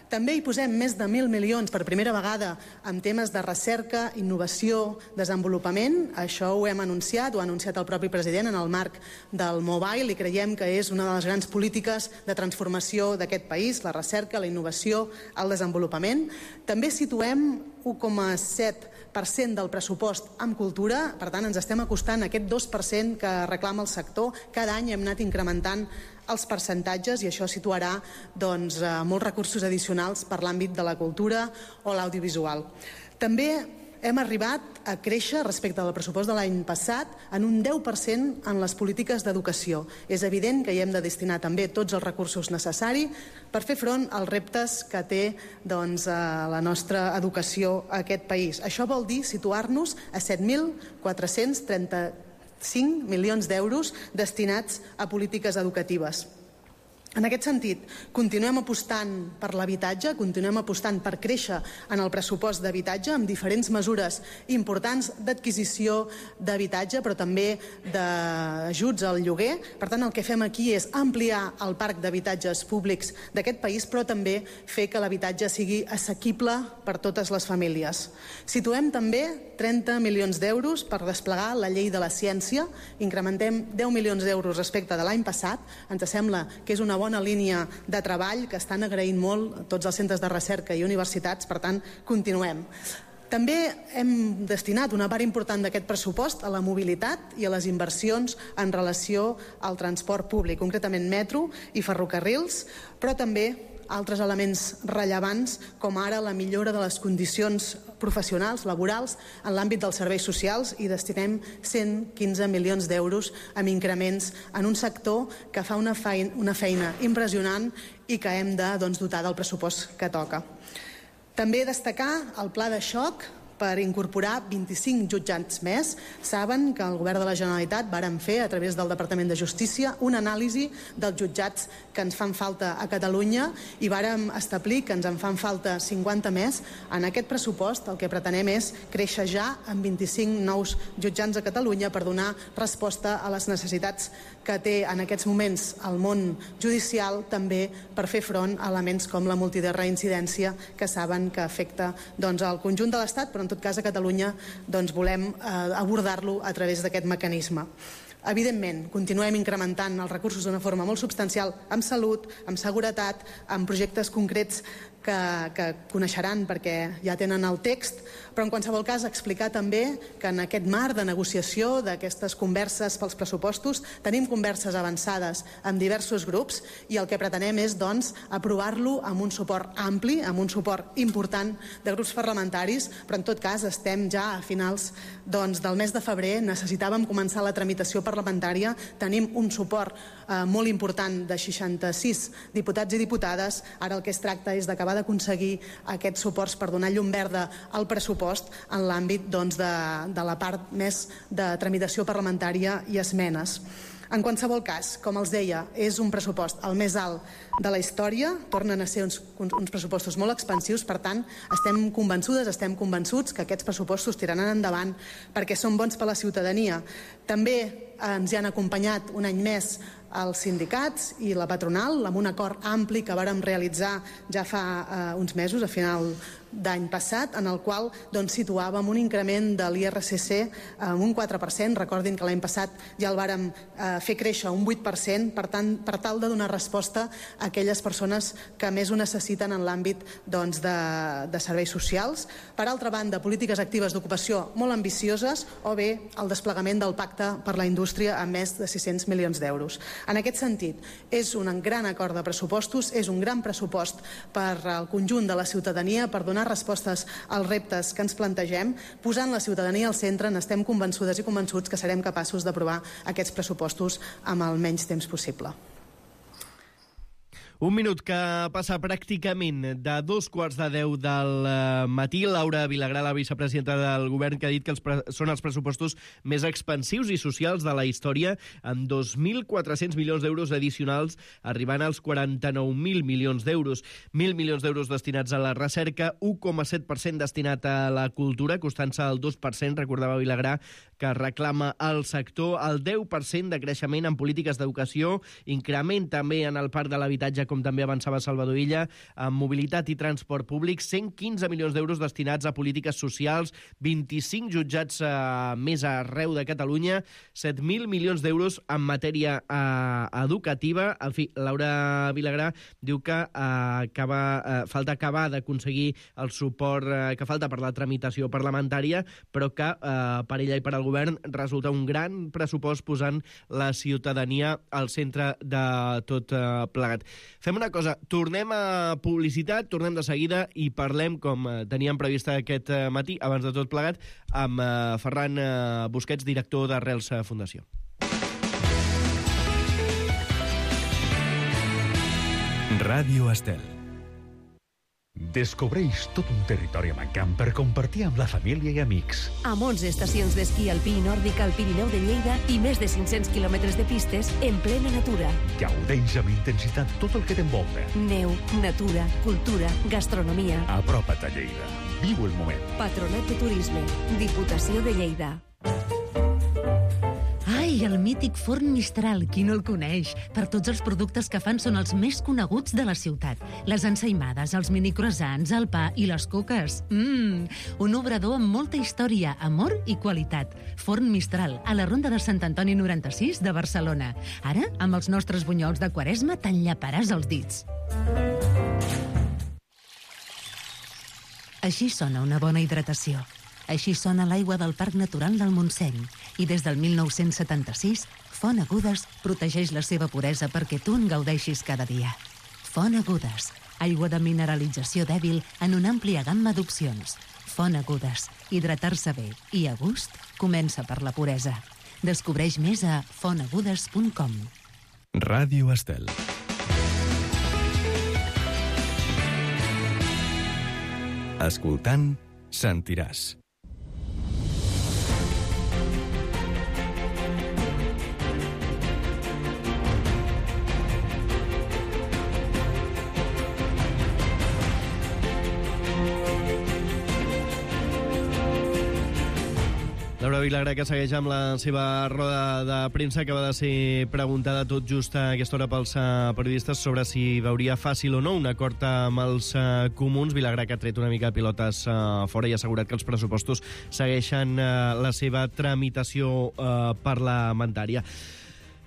També hi posem més de mil milions per primera vegada en temes de recerca, innovació, desenvolupament. Això ho hem anunciat, ho ha anunciat el propi president en el marc del Mobile i creiem que és una de les grans polítiques de transformació d'aquest país, la recerca, la innovació, el desenvolupament. També situem un coma set per cent del pressupost en cultura, per tant ens estem acostant a aquest dos per cent que reclama el sector. Cada any hem anat incrementant els percentatges i això situarà doncs, molts recursos addicionals per l'àmbit de la cultura o l'audiovisual. També hem arribat a créixer respecte al pressupost de l'any passat en un deu per cent en les polítiques d'educació. És evident que hi hem de destinar també tots els recursos necessaris per fer front als reptes que té doncs, la nostra educació a aquest país. Això vol dir situar-nos a set mil quatre-cents trenta-cinc milions d'euros destinats a polítiques educatives. En aquest sentit, continuem apostant per l'habitatge, continuem apostant per créixer en el pressupost d'habitatge amb diferents mesures importants d'adquisició d'habitatge, però també d'ajuts al lloguer. Per tant, el que fem aquí és ampliar el parc d'habitatges públics d'aquest país, però també fer que l'habitatge sigui assequible per totes les famílies. Situem també trenta milions d'euros per desplegar la llei de la ciència. Incrementem deu milions d'euros respecte de l'any passat. Ens sembla que és una bona línia de treball que estan agraint molt tots els centres de recerca i universitats, per tant, continuem. També hem destinat una part important d'aquest pressupost a la mobilitat i a les inversions en relació al transport públic, concretament metro i ferrocarrils, però també altres elements rellevants, com ara la millora de les condicions professionals, laborals, en l'àmbit dels serveis socials, i destinem cent quinze milions d'euros amb increments en un sector que fa una feina, una feina impressionant i que hem de doncs, dotar del pressupost que toca. També destacar el pla de xoc per incorporar vint-i-cinc jutjats més. Saben que el govern de la Generalitat vàrem fer, a través del Departament de Justícia, una anàlisi dels jutjats que ens fan falta a Catalunya i vàrem establir que ens en fan falta cinquanta més. En aquest pressupost el que pretenem és créixer ja amb vint-i-cinc nous jutjats a Catalunya per donar resposta a les necessitats que té en aquests moments el món judicial, també per fer front a elements com la multireincidència, que saben que afecta doncs, el conjunt de l'Estat, però en tot cas a Catalunya doncs, volem eh, abordar-lo a través d'aquest mecanisme. Evidentment, continuem incrementant els recursos d'una forma molt substancial amb salut, amb seguretat, amb projectes concrets que, que coneixeran perquè ja tenen el text, però en qualsevol cas explicar també que en aquest marc de negociació d'aquestes converses pels pressupostos tenim converses avançades amb diversos grups i el que pretenem és doncs aprovar-lo amb un suport ampli, amb un suport important de grups parlamentaris, però en tot cas estem ja a finals doncs, del mes de febrer, necessitàvem començar la tramitació parlamentària, tenim un suport eh, molt important de seixanta-sis diputats i diputades, ara el que es tracta és d'acabar d'aconseguir aquests suports per donar llum verda al pressupost en l'àmbit doncs, de, de la part més de tramitació parlamentària i esmenes. En qualsevol cas, com els deia, és un pressupost el més alt de la història, tornen a ser uns, uns pressupostos molt expansius, per tant, estem convençudes, estem convençuts que aquests pressupostos tiraran endavant perquè són bons per a la ciutadania. També ens hi han acompanyat un any més els sindicats i la patronal amb un acord ampli que vàrem realitzar ja fa eh, uns mesos, a final d'any passat, en el qual doncs, situàvem un increment de l'I R C C amb un quatre per cent. Recordin que l'any passat ja el vàrem eh, fer créixer un vuit per cent, per tant, per tal de donar resposta a aquelles persones que més ho necessiten en l'àmbit doncs, de, de serveis socials. Per altra banda, polítiques actives d'ocupació molt ambicioses o bé el desplegament del Pacte per la Indústria amb més de sis-cents milions d'euros. En aquest sentit, és un gran acord de pressupostos, és un gran pressupost per al conjunt de la ciutadania, per donar respostes als reptes que ens plantegem, posant la ciutadania al centre, n'estem convençudes i convençuts que serem capaços d'aprovar aquests pressupostos amb el menys temps possible. Un minut que passa pràcticament de dos quarts de deu del matí. Laura Vilagrà, la vicepresidenta del govern, que ha dit que els pre- són els pressupostos més expansius i socials de la història, amb dos mil quatre-cents milions d'euros addicionals, arribant als quaranta-nou mil milions d'euros. Mil milions d'euros destinats a la recerca, un coma set per cent destinat a la cultura, costant-se el dos per cent, recordava Vilagrà, que reclama el sector, el deu per cent de creixement en polítiques d'educació, increment també en el parc de l'habitatge, com també avançava Salvador Illa, amb mobilitat i transport públic, cent quinze milions d'euros destinats a polítiques socials, vint-i-cinc jutjats eh, més arreu de Catalunya, set mil milions d'euros en matèria eh, educativa. En fi, Laura Vilagrà diu que eh, acaba, eh, falta acabar d'aconseguir el suport eh, que falta per la tramitació parlamentària, però que eh, per ella i per al govern resulta un gran pressupost posant la ciutadania al centre de tot eh, plegat. Fem una cosa, tornem a publicitat, tornem de seguida i parlem, com teníem previst aquest matí, abans de tot plegat, amb Ferran Busquets, director d'Arrels Fundació. Ràdio Estel. Descobreix tot un territori mancant per compartir amb la família i amics. Amb onze estacions d'esquí alpí i nòrdic al Pirineu de Lleida i més de cinc-cents quilòmetres de pistes en plena natura. Gaudeix amb intensitat tot el que t'envolta. Neu, natura, cultura, gastronomia. Apropa't a Lleida. Viu el moment. Patronat de Turisme. Diputació de Lleida. Ai, el mític forn Mistral, qui no el coneix? Per tots els productes que fan són els més coneguts de la ciutat. Les ensaïmades, els minicroissants, el pa i les coques. Mmm, un obrador amb molta història, amor i qualitat. Forn Mistral, a la Ronda de Sant Antoni noranta-sis de Barcelona. Ara, amb els nostres bunyols de Quaresma, te'n llaparàs els dits. Així sona una bona hidratació. Així sona l'aigua del Parc Natural del Montseny. I des del mil nou-cents setanta-sis, Font Agudes protegeix la seva puresa perquè tu en gaudeixis cada dia. Font Agudes, aigua de mineralització dèbil en una àmplia gamma d'opcions. Font Agudes, hidratar-se bé i a gust comença per la puresa. Descobreix més a font agudes punt com. Ràdio Estel. Escoltant, sentiràs. Laura Vilagrà, que segueix amb la seva roda de premsa, acaba de ser preguntada tot just a aquesta hora pels uh, periodistes sobre si veuria fàcil o no un acord amb els uh, comuns. Vilagrà, que ha tret una mica de pilotes uh, fora i ha assegurat que els pressupostos segueixen uh, la seva tramitació uh, parlamentària.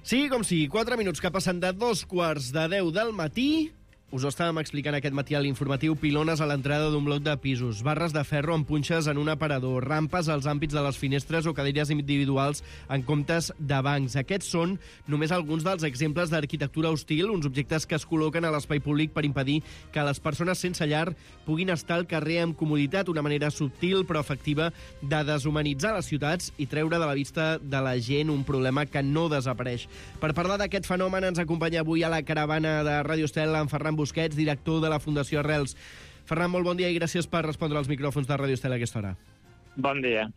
Sí, com sí, quatre minuts que passen de dos quarts de deu del matí. Us ho estàvem explicant aquest matí a l'informatiu, pilones a l'entrada d'un bloc de pisos, barres de ferro amb punxes en un aparador, rampes als àmbits de les finestres o cadires individuals en comptes de bancs. Aquests són només alguns dels exemples d'arquitectura hostil, uns objectes que es col·loquen a l'espai públic per impedir que les persones sense llar puguin estar al carrer amb comoditat, una manera subtil però efectiva de deshumanitzar les ciutats i treure de la vista de la gent un problema que no desapareix. Per parlar d'aquest fenomen ens acompanya avui a la caravana de Ràdio Estel en Ferran Busquets, director de la Fundació Arrels. Ferran, molt bon dia i gràcies per respondre als micròfons de Ràdio Estel a aquesta hora. Bon dia.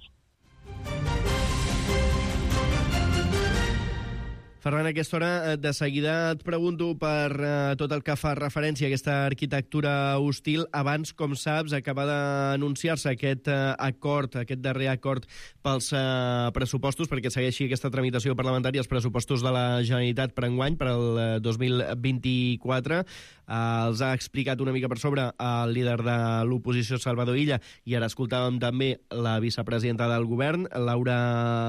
Ferran, a aquesta hora, de seguida et pregunto per uh, tot el que fa referència a aquesta arquitectura hostil. Abans, com saps, acaba d'anunciar-se aquest uh, acord, aquest darrer acord pels uh, pressupostos, perquè segueixi aquesta tramitació parlamentària, els pressupostos de la Generalitat per enguany, per al uh, dos mil vint-i-quatre. Uh, els ha explicat una mica per sobre el líder de l'oposició, Salvador Illa, i ara escoltàvem també la vicepresidenta del govern, Laura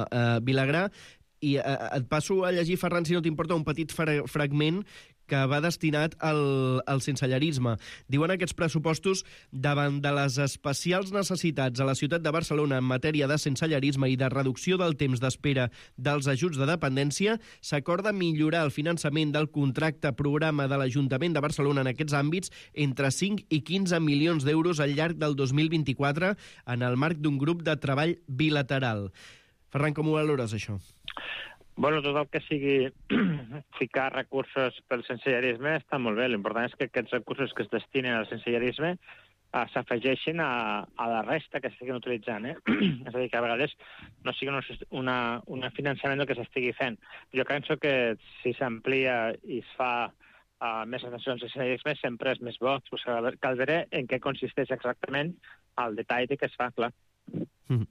uh, Vilagrà. I eh, et passo a llegir, Ferran, si no t'importa, un petit fra fragment que va destinat al, al sensellarisme. Diuen aquests pressupostos, davant de les especials necessitats a la ciutat de Barcelona en matèria de sensellarisme i de reducció del temps d'espera dels ajuts de dependència, s'acorda millorar el finançament del contracte programa de l'Ajuntament de Barcelona en aquests àmbits entre cinc i quinze milions d'euros al llarg del dos mil vint-i-quatre en el marc d'un grup de treball bilateral. Ferran, com ho valores, això? Bueno, tot el que sigui ficar recursos pel sensellarisme està molt bé. L'important és que aquests recursos que es destinen al sensellarisme uh, s'afegeixin a, a la resta que s'estiguin utilitzant. Eh? És a dir, que a vegades no sigui una, un finançament del que s'estigui fent. Jo penso que si s'amplia i es fa uh, més atenció al sensellarisme sempre és més bo. Pues, cal veure en què consisteix exactament el detall de què es fa, clar. Mm.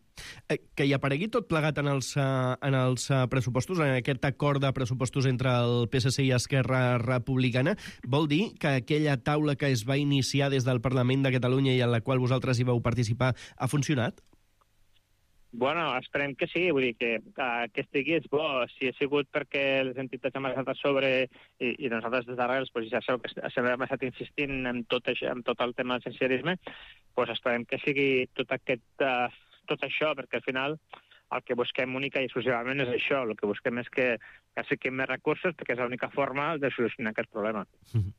Eh, que hi aparegui tot plegat en els, uh, en els uh, pressupostos, en aquest acord de pressupostos entre el P S C i Esquerra Republicana, vol dir que aquella taula que es va iniciar des del Parlament de Catalunya i en la qual vosaltres hi vau participar ha funcionat? Bueno, esperem que sí, vull dir que, uh, que estigui és bo. Si ha sigut perquè les entitats han estat a sobre i, i nosaltres des d'Arrels pues, ja sabeu que sempre hem estat insistint en tot, això, en tot el tema del sensellarisme, pues esperem que sigui tot aquest... Uh, tot això, perquè al final el que busquem única i exclusivament és això, el que busquem és que, que fiquem més recursos perquè és l'única forma de solucionar aquest problema. Mm-hmm.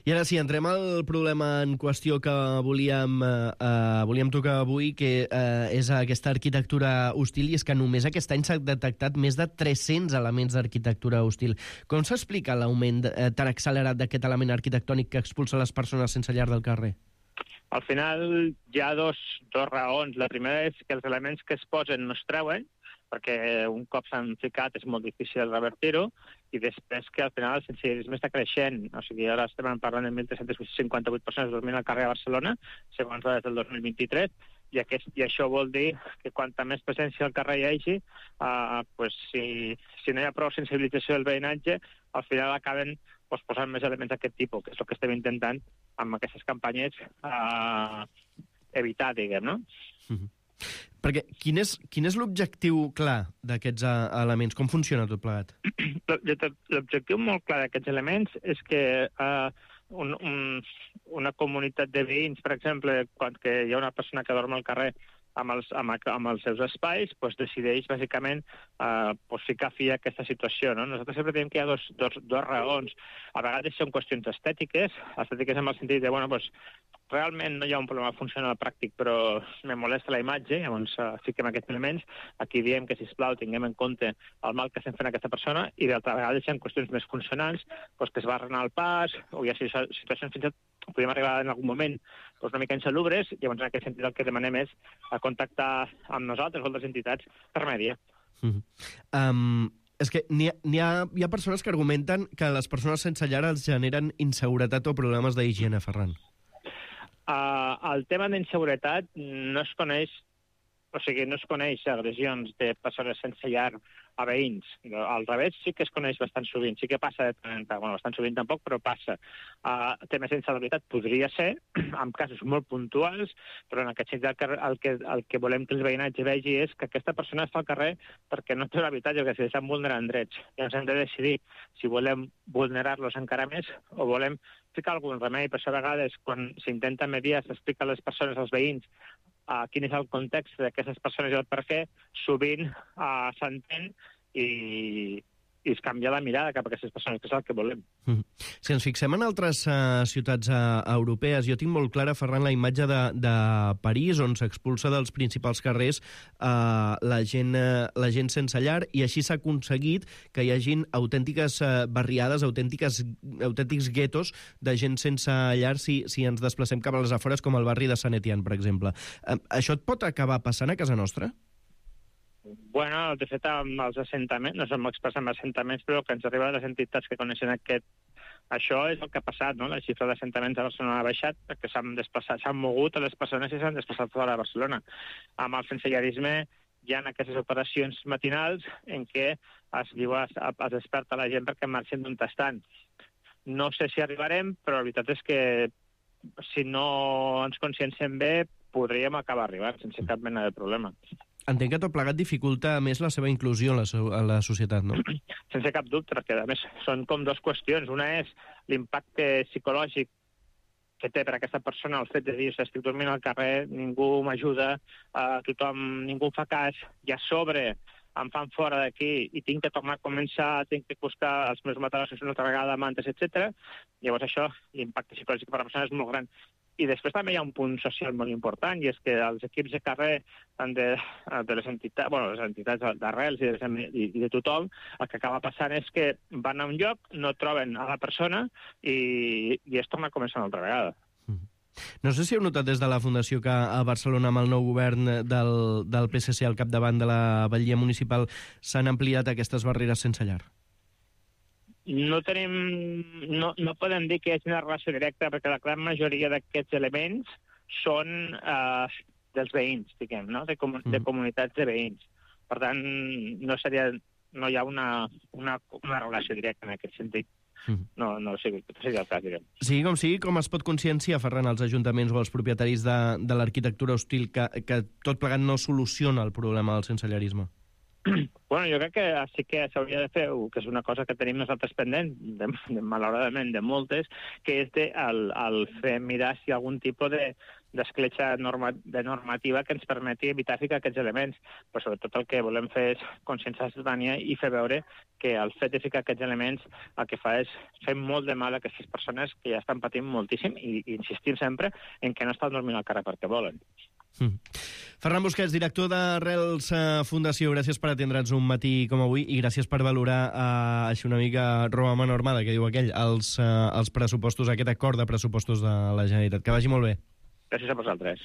I ara sí, entrem al problema en qüestió que volíem, eh, volíem tocar avui, que eh, és aquesta arquitectura hostil, i és que només aquest any s'ha detectat més de tres-cents elements d'arquitectura hostil. Com s'explica l'augment eh, tan accelerat d'aquest element arquitectònic que expulsa les persones sense llar del carrer? Al final hi ha dos, dos raons. La primera és que els elements que es posen no es treuen, perquè un cop s'han ficat és molt difícil revertir-ho, i després que al final el sensellarisme està creixent. O sigui, ara estem parlant de mil tres-cents cinquanta-vuit persones dormint al carrer de Barcelona, segons dades del dos mil vint-i-tres, i, aquest, i això vol dir que quanta més presència al carrer hi hagi, uh, pues si, si no hi ha prou sensibilització del veïnatge, al final acaben pues, posant més elements d'aquest tipus, que és el que estem intentant amb aquestes campanyes uh, evitar, diguem, no? Mm-hmm. Perquè quin és, quin és l'objectiu clar d'aquests uh, elements? Com funciona tot plegat? L'objectiu molt clar d'aquests elements és que uh, un, un, una comunitat de veïns, per exemple, quan que hi ha una persona que dorm al carrer amb els, amb, amb els seus espais, pues decideix, bàsicament, eh, pues ficar fi a aquesta situació. No? Nosaltres sempre diem que hi ha dos, dos, dos raons. A vegades són qüestions estètiques, estètiques en el sentit de, bueno, pues, realment no hi ha un problema funcional pràctic, però me molesta la imatge, llavors uh, fiquem aquests elements. Aquí diem que, sisplau, tinguem en compte el mal que estem fent a aquesta persona, i d'altra vegada hi ha qüestions més funcionals, doncs que es va arrenar el pas, o hi ha situacions fins i tot podem arribar en algun moment doncs una mica insalubres, llavors en aquest sentit el que demanem és a contactar amb nosaltres o altres entitats per mèdia. Mm-hmm. um... És que n'hi ha, n'hi ha, hi ha persones que argumenten que les persones sense llar els generen inseguretat o problemes d'higiene, Ferran. Uh, el tema d'inseguretat no es coneix o sigui, no es coneix agressions de persones sense llar a veïns. Al revés, sí que es coneix bastant sovint, sí que passa, bueno, bastant sovint tampoc, però passa. Uh, temes d'insalubaritat podria ser, en casos molt puntuals, però en aquest sentit el que, el, que, el que volem que el veïnatge vegi és que aquesta persona està al carrer perquè no té l'habitatge, que s'hi estan vulnerant drets. I ens hem de decidir si volem vulnerar-los encara més o volem ficar algun remei. Per això a vegades, quan s'intenta mediar, s'explica a les persones, als veïns, Uh, quin és el context d'aquestes persones i el per què, sovint uh, s'entén i, i es canvia la mirada cap a aquestes persones, que és el que volem. Mm. Si ens fixem en altres uh, ciutats uh, europees, jo tinc molt clara, Ferran, la imatge de, de París, on s'expulsa dels principals carrers uh, la, gent, uh, la gent sense llar, i així s'ha aconseguit que hi hagin autèntiques uh, barriades, autèntiques, autèntics guetos de gent sense llar si, si ens desplacem cap a les afores, com el barri de Saint-Étienne, per exemple. Uh, això et pot acabar passant a casa nostra? Bueno, de fet, amb els assentaments, no som experts en assentaments, però el que ens arriba de les entitats que coneixen aquest... Això és el que ha passat, no? La xifra d'assentaments a Barcelona ha baixat perquè s'han desplaçat, s'han mogut a les persones i s'han desplaçat fora de Barcelona. Amb el sensellarisme hi ha aquestes operacions matinals en què es diu, es, es desperta la gent perquè marxin d'un tastant. No sé si arribarem, però la veritat és que si no ens conscienciem bé, podríem acabar arribant sense cap mena de problema. Entenc que tot plegat dificulta més la seva inclusió en la, so en la societat, no? Sense cap dubte, perquè a més són com dues qüestions. Una és l'impacte psicològic que té per a aquesta persona el fet de dir, estic dormint al carrer, ningú m'ajuda, uh, tothom, ningú em fa cas, i a sobre em fan fora d'aquí i tinc que tornar a començar, tinc que buscar els meus matalossos una altra vegada, mantes, etcètera. Llavors això, l'impacte psicològic per a la persona és molt gran. I després també hi ha un punt social molt important, i és que els equips de carrer de, de les entitats, bueno, les entitats d'arrels i, i, i de tothom, el que acaba passant és que van a un lloc, no troben a la persona i, i es torna a començar una altra vegada. No sé si heu notat des de la Fundació que a Barcelona, amb el nou govern del, del P S C al capdavant de la batllia municipal, s'han ampliat aquestes barreres sense llar. No tenim, no, no podem dir que hi hagi una relació directa, perquè la gran majoria d'aquests elements són eh, dels veïns, diguem, no? de, com, de comunitats de veïns. Per tant, no, seria, no hi ha una, una, una relació directa en aquest sentit. No, no sigui, seria el cas, diguem. Sigui com sigui, com es pot conscienciar, Ferran, als ajuntaments o als propietaris de, de l'arquitectura hostil que, que tot plegat no soluciona el problema del sensellarisme? Bueno, jo crec que sí que s'hauria de fer, que és una cosa que tenim nosaltres pendent, de, de, malauradament de moltes, que és de, el, el fer mirar si algun tipus de d'escletxa norma, de normativa que ens permeti evitar ficar aquests elements. Però sobretot el que volem fer és conscienciar la ciutadania i fer veure que el fet de ficar aquests elements el que fa és fer molt de mal a aquestes persones que ja estan patint moltíssim i, i insistim sempre en que no estan dormint al carrer perquè volen. Mm. Ferran Busquets, director d'Arrels Fundació, gràcies per atendre'ns un matí com avui i gràcies per valorar eh, així una mica roba mano armada, que diu aquell, els, eh, els pressupostos, aquest acord de pressupostos de la Generalitat. Que vagi molt bé. Gràcies a vosaltres.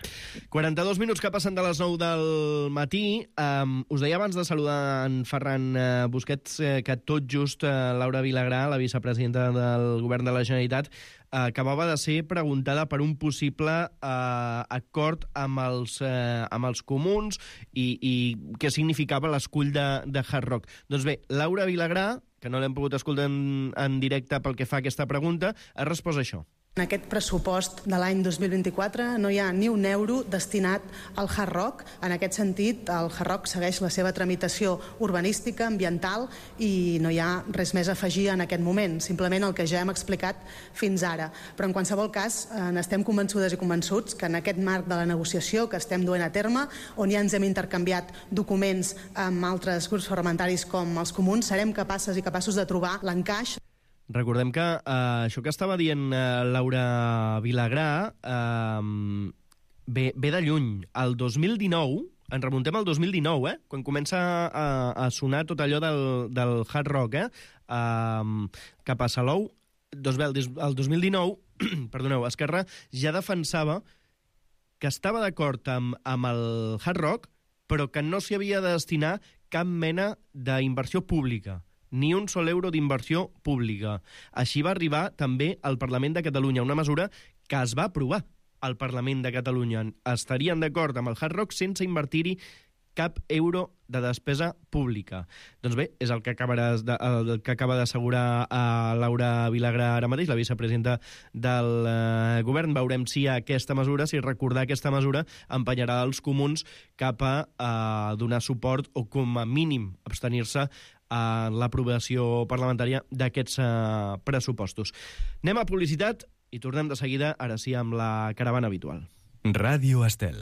quaranta-dos minuts que passen de les nou del matí. Um, us deia abans de saludar en Ferran uh, Busquets uh, que tot just uh, Laura Vilagrà, la vicepresidenta del Govern de la Generalitat, uh, acabava de ser preguntada per un possible uh, acord amb els, uh, amb els comuns i, i què significava l'escull de, de Hard Rock. Doncs bé, Laura Vilagrà, que no l'hem pogut escoltar en, en directe pel que fa a aquesta pregunta, ha respost això. En aquest pressupost de l'any dos mil vint-i-quatre no hi ha ni un euro destinat al Hard Rock. En aquest sentit, el Hard Rock segueix la seva tramitació urbanística, ambiental, i no hi ha res més a afegir en aquest moment, simplement el que ja hem explicat fins ara. Però en qualsevol cas, n'estem convençudes i convençuts que en aquest marc de la negociació que estem duent a terme, on ja ens hem intercanviat documents amb altres grups parlamentaris com els comuns, serem capaces i capaços de trobar l'encaix. Recordem que eh, això que estava dient eh, Laura Vilagrà eh, ve, ve de lluny. El dos mil dinou, ens remuntem al dos mil dinou, eh, quan comença a, a sonar tot allò del, del Hard Rock, eh, eh, cap a Salou. Doncs bé, el dos mil dinou, perdoneu, Esquerra ja defensava que estava d'acord amb, amb el Hard Rock, però que no s'hi havia de destinar cap mena d'inversió pública, ni un sol euro d'inversió pública. Així va arribar també al Parlament de Catalunya, una mesura que es va aprovar al Parlament de Catalunya estarien d'acord amb el Hard Rock sense invertir-hi cap euro de despesa pública. Doncs bé, és el que acaba de, el que acaba d'assegurar a Laura Vilagrà ara mateix, la vicepresidenta del eh, govern. Veurem si aquesta mesura, si recordar aquesta mesura, empenyarà els comuns cap a eh, donar suport o com a mínim abstenir-se a l'aprovació parlamentària d'aquests eh, pressupostos. Anem a publicitat i tornem de seguida, ara sí, amb la caravana habitual. Ràdio Estel.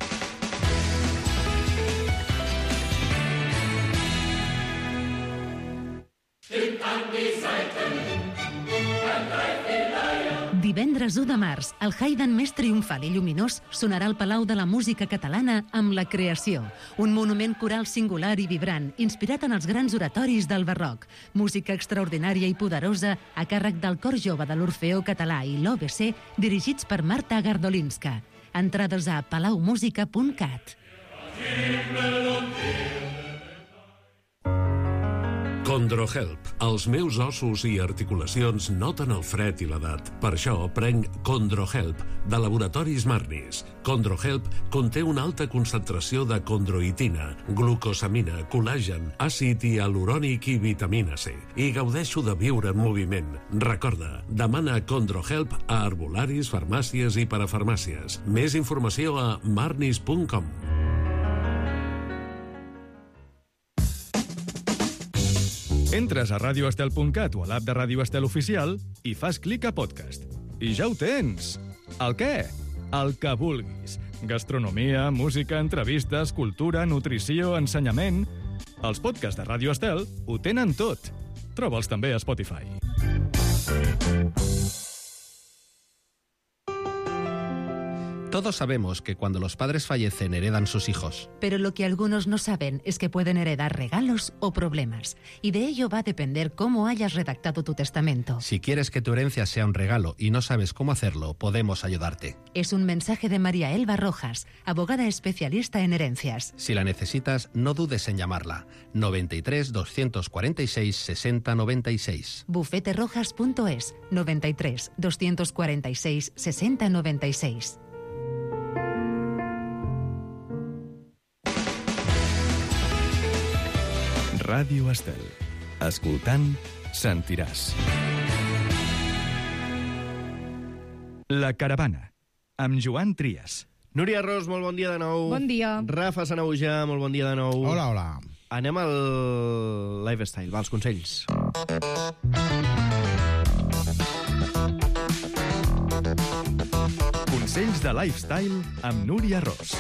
Divendres u de març, el Haydn més triomfal i lluminós sonarà al Palau de la Música Catalana amb La Creació, un monument coral singular i vibrant, inspirat en els grans oratoris del barroc. Música extraordinària i poderosa a càrrec del Cor Jove de l'Orfeó Català i l'O B C, dirigits per Marta Gardolinska. Entrades a palaumusica punt cat. Condrohelp. Els meus ossos i articulacions noten el fred i l'edat. Per això prenc Condrohelp, de Laboratoris Marnis. Condrohelp conté una alta concentració de condroitina, glucosamina, col·làgen, àcid hialurònic i vitamina C. I gaudeixo de viure en moviment. Recorda, demana Condrohelp a herbolaris, farmàcies i parafarmàcies. Més informació a marnis punt com. Entres a radio estel punt cat o a l'app de Ràdio Estel Oficial i fas clic a podcast. I ja ho tens! El què? El que vulguis. Gastronomia, música, entrevistes, cultura, nutrició, ensenyament... Els podcasts de Ràdio Estel ho tenen tot. Troba'ls també a Spotify. Todos sabemos que cuando los padres fallecen heredan sus hijos. Pero lo que algunos no saben es que pueden heredar regalos o problemas. Y de ello va a depender cómo hayas redactado tu testamento. Si quieres que tu herencia sea un regalo y no sabes cómo hacerlo, podemos ayudarte. Es un mensaje de María Elba Rojas, abogada especialista en herencias. Si la necesitas, no dudes en llamarla. noventa y tres, doscientos cuarenta y seis, sesenta noventa y seis. bufete rojas punto es, noventa y tres, doscientos cuarenta y seis, sesenta noventa y seis. Ràdio Estel. Escoltant, sentiràs. La caravana, amb Joan Trias. Núria Ros, molt bon dia de nou. Bon dia. Rafa Sanahuja, molt bon dia de nou. Hola, hola. Anem al lifestyle, va, els consells. Consells de lifestyle amb Núria Ros.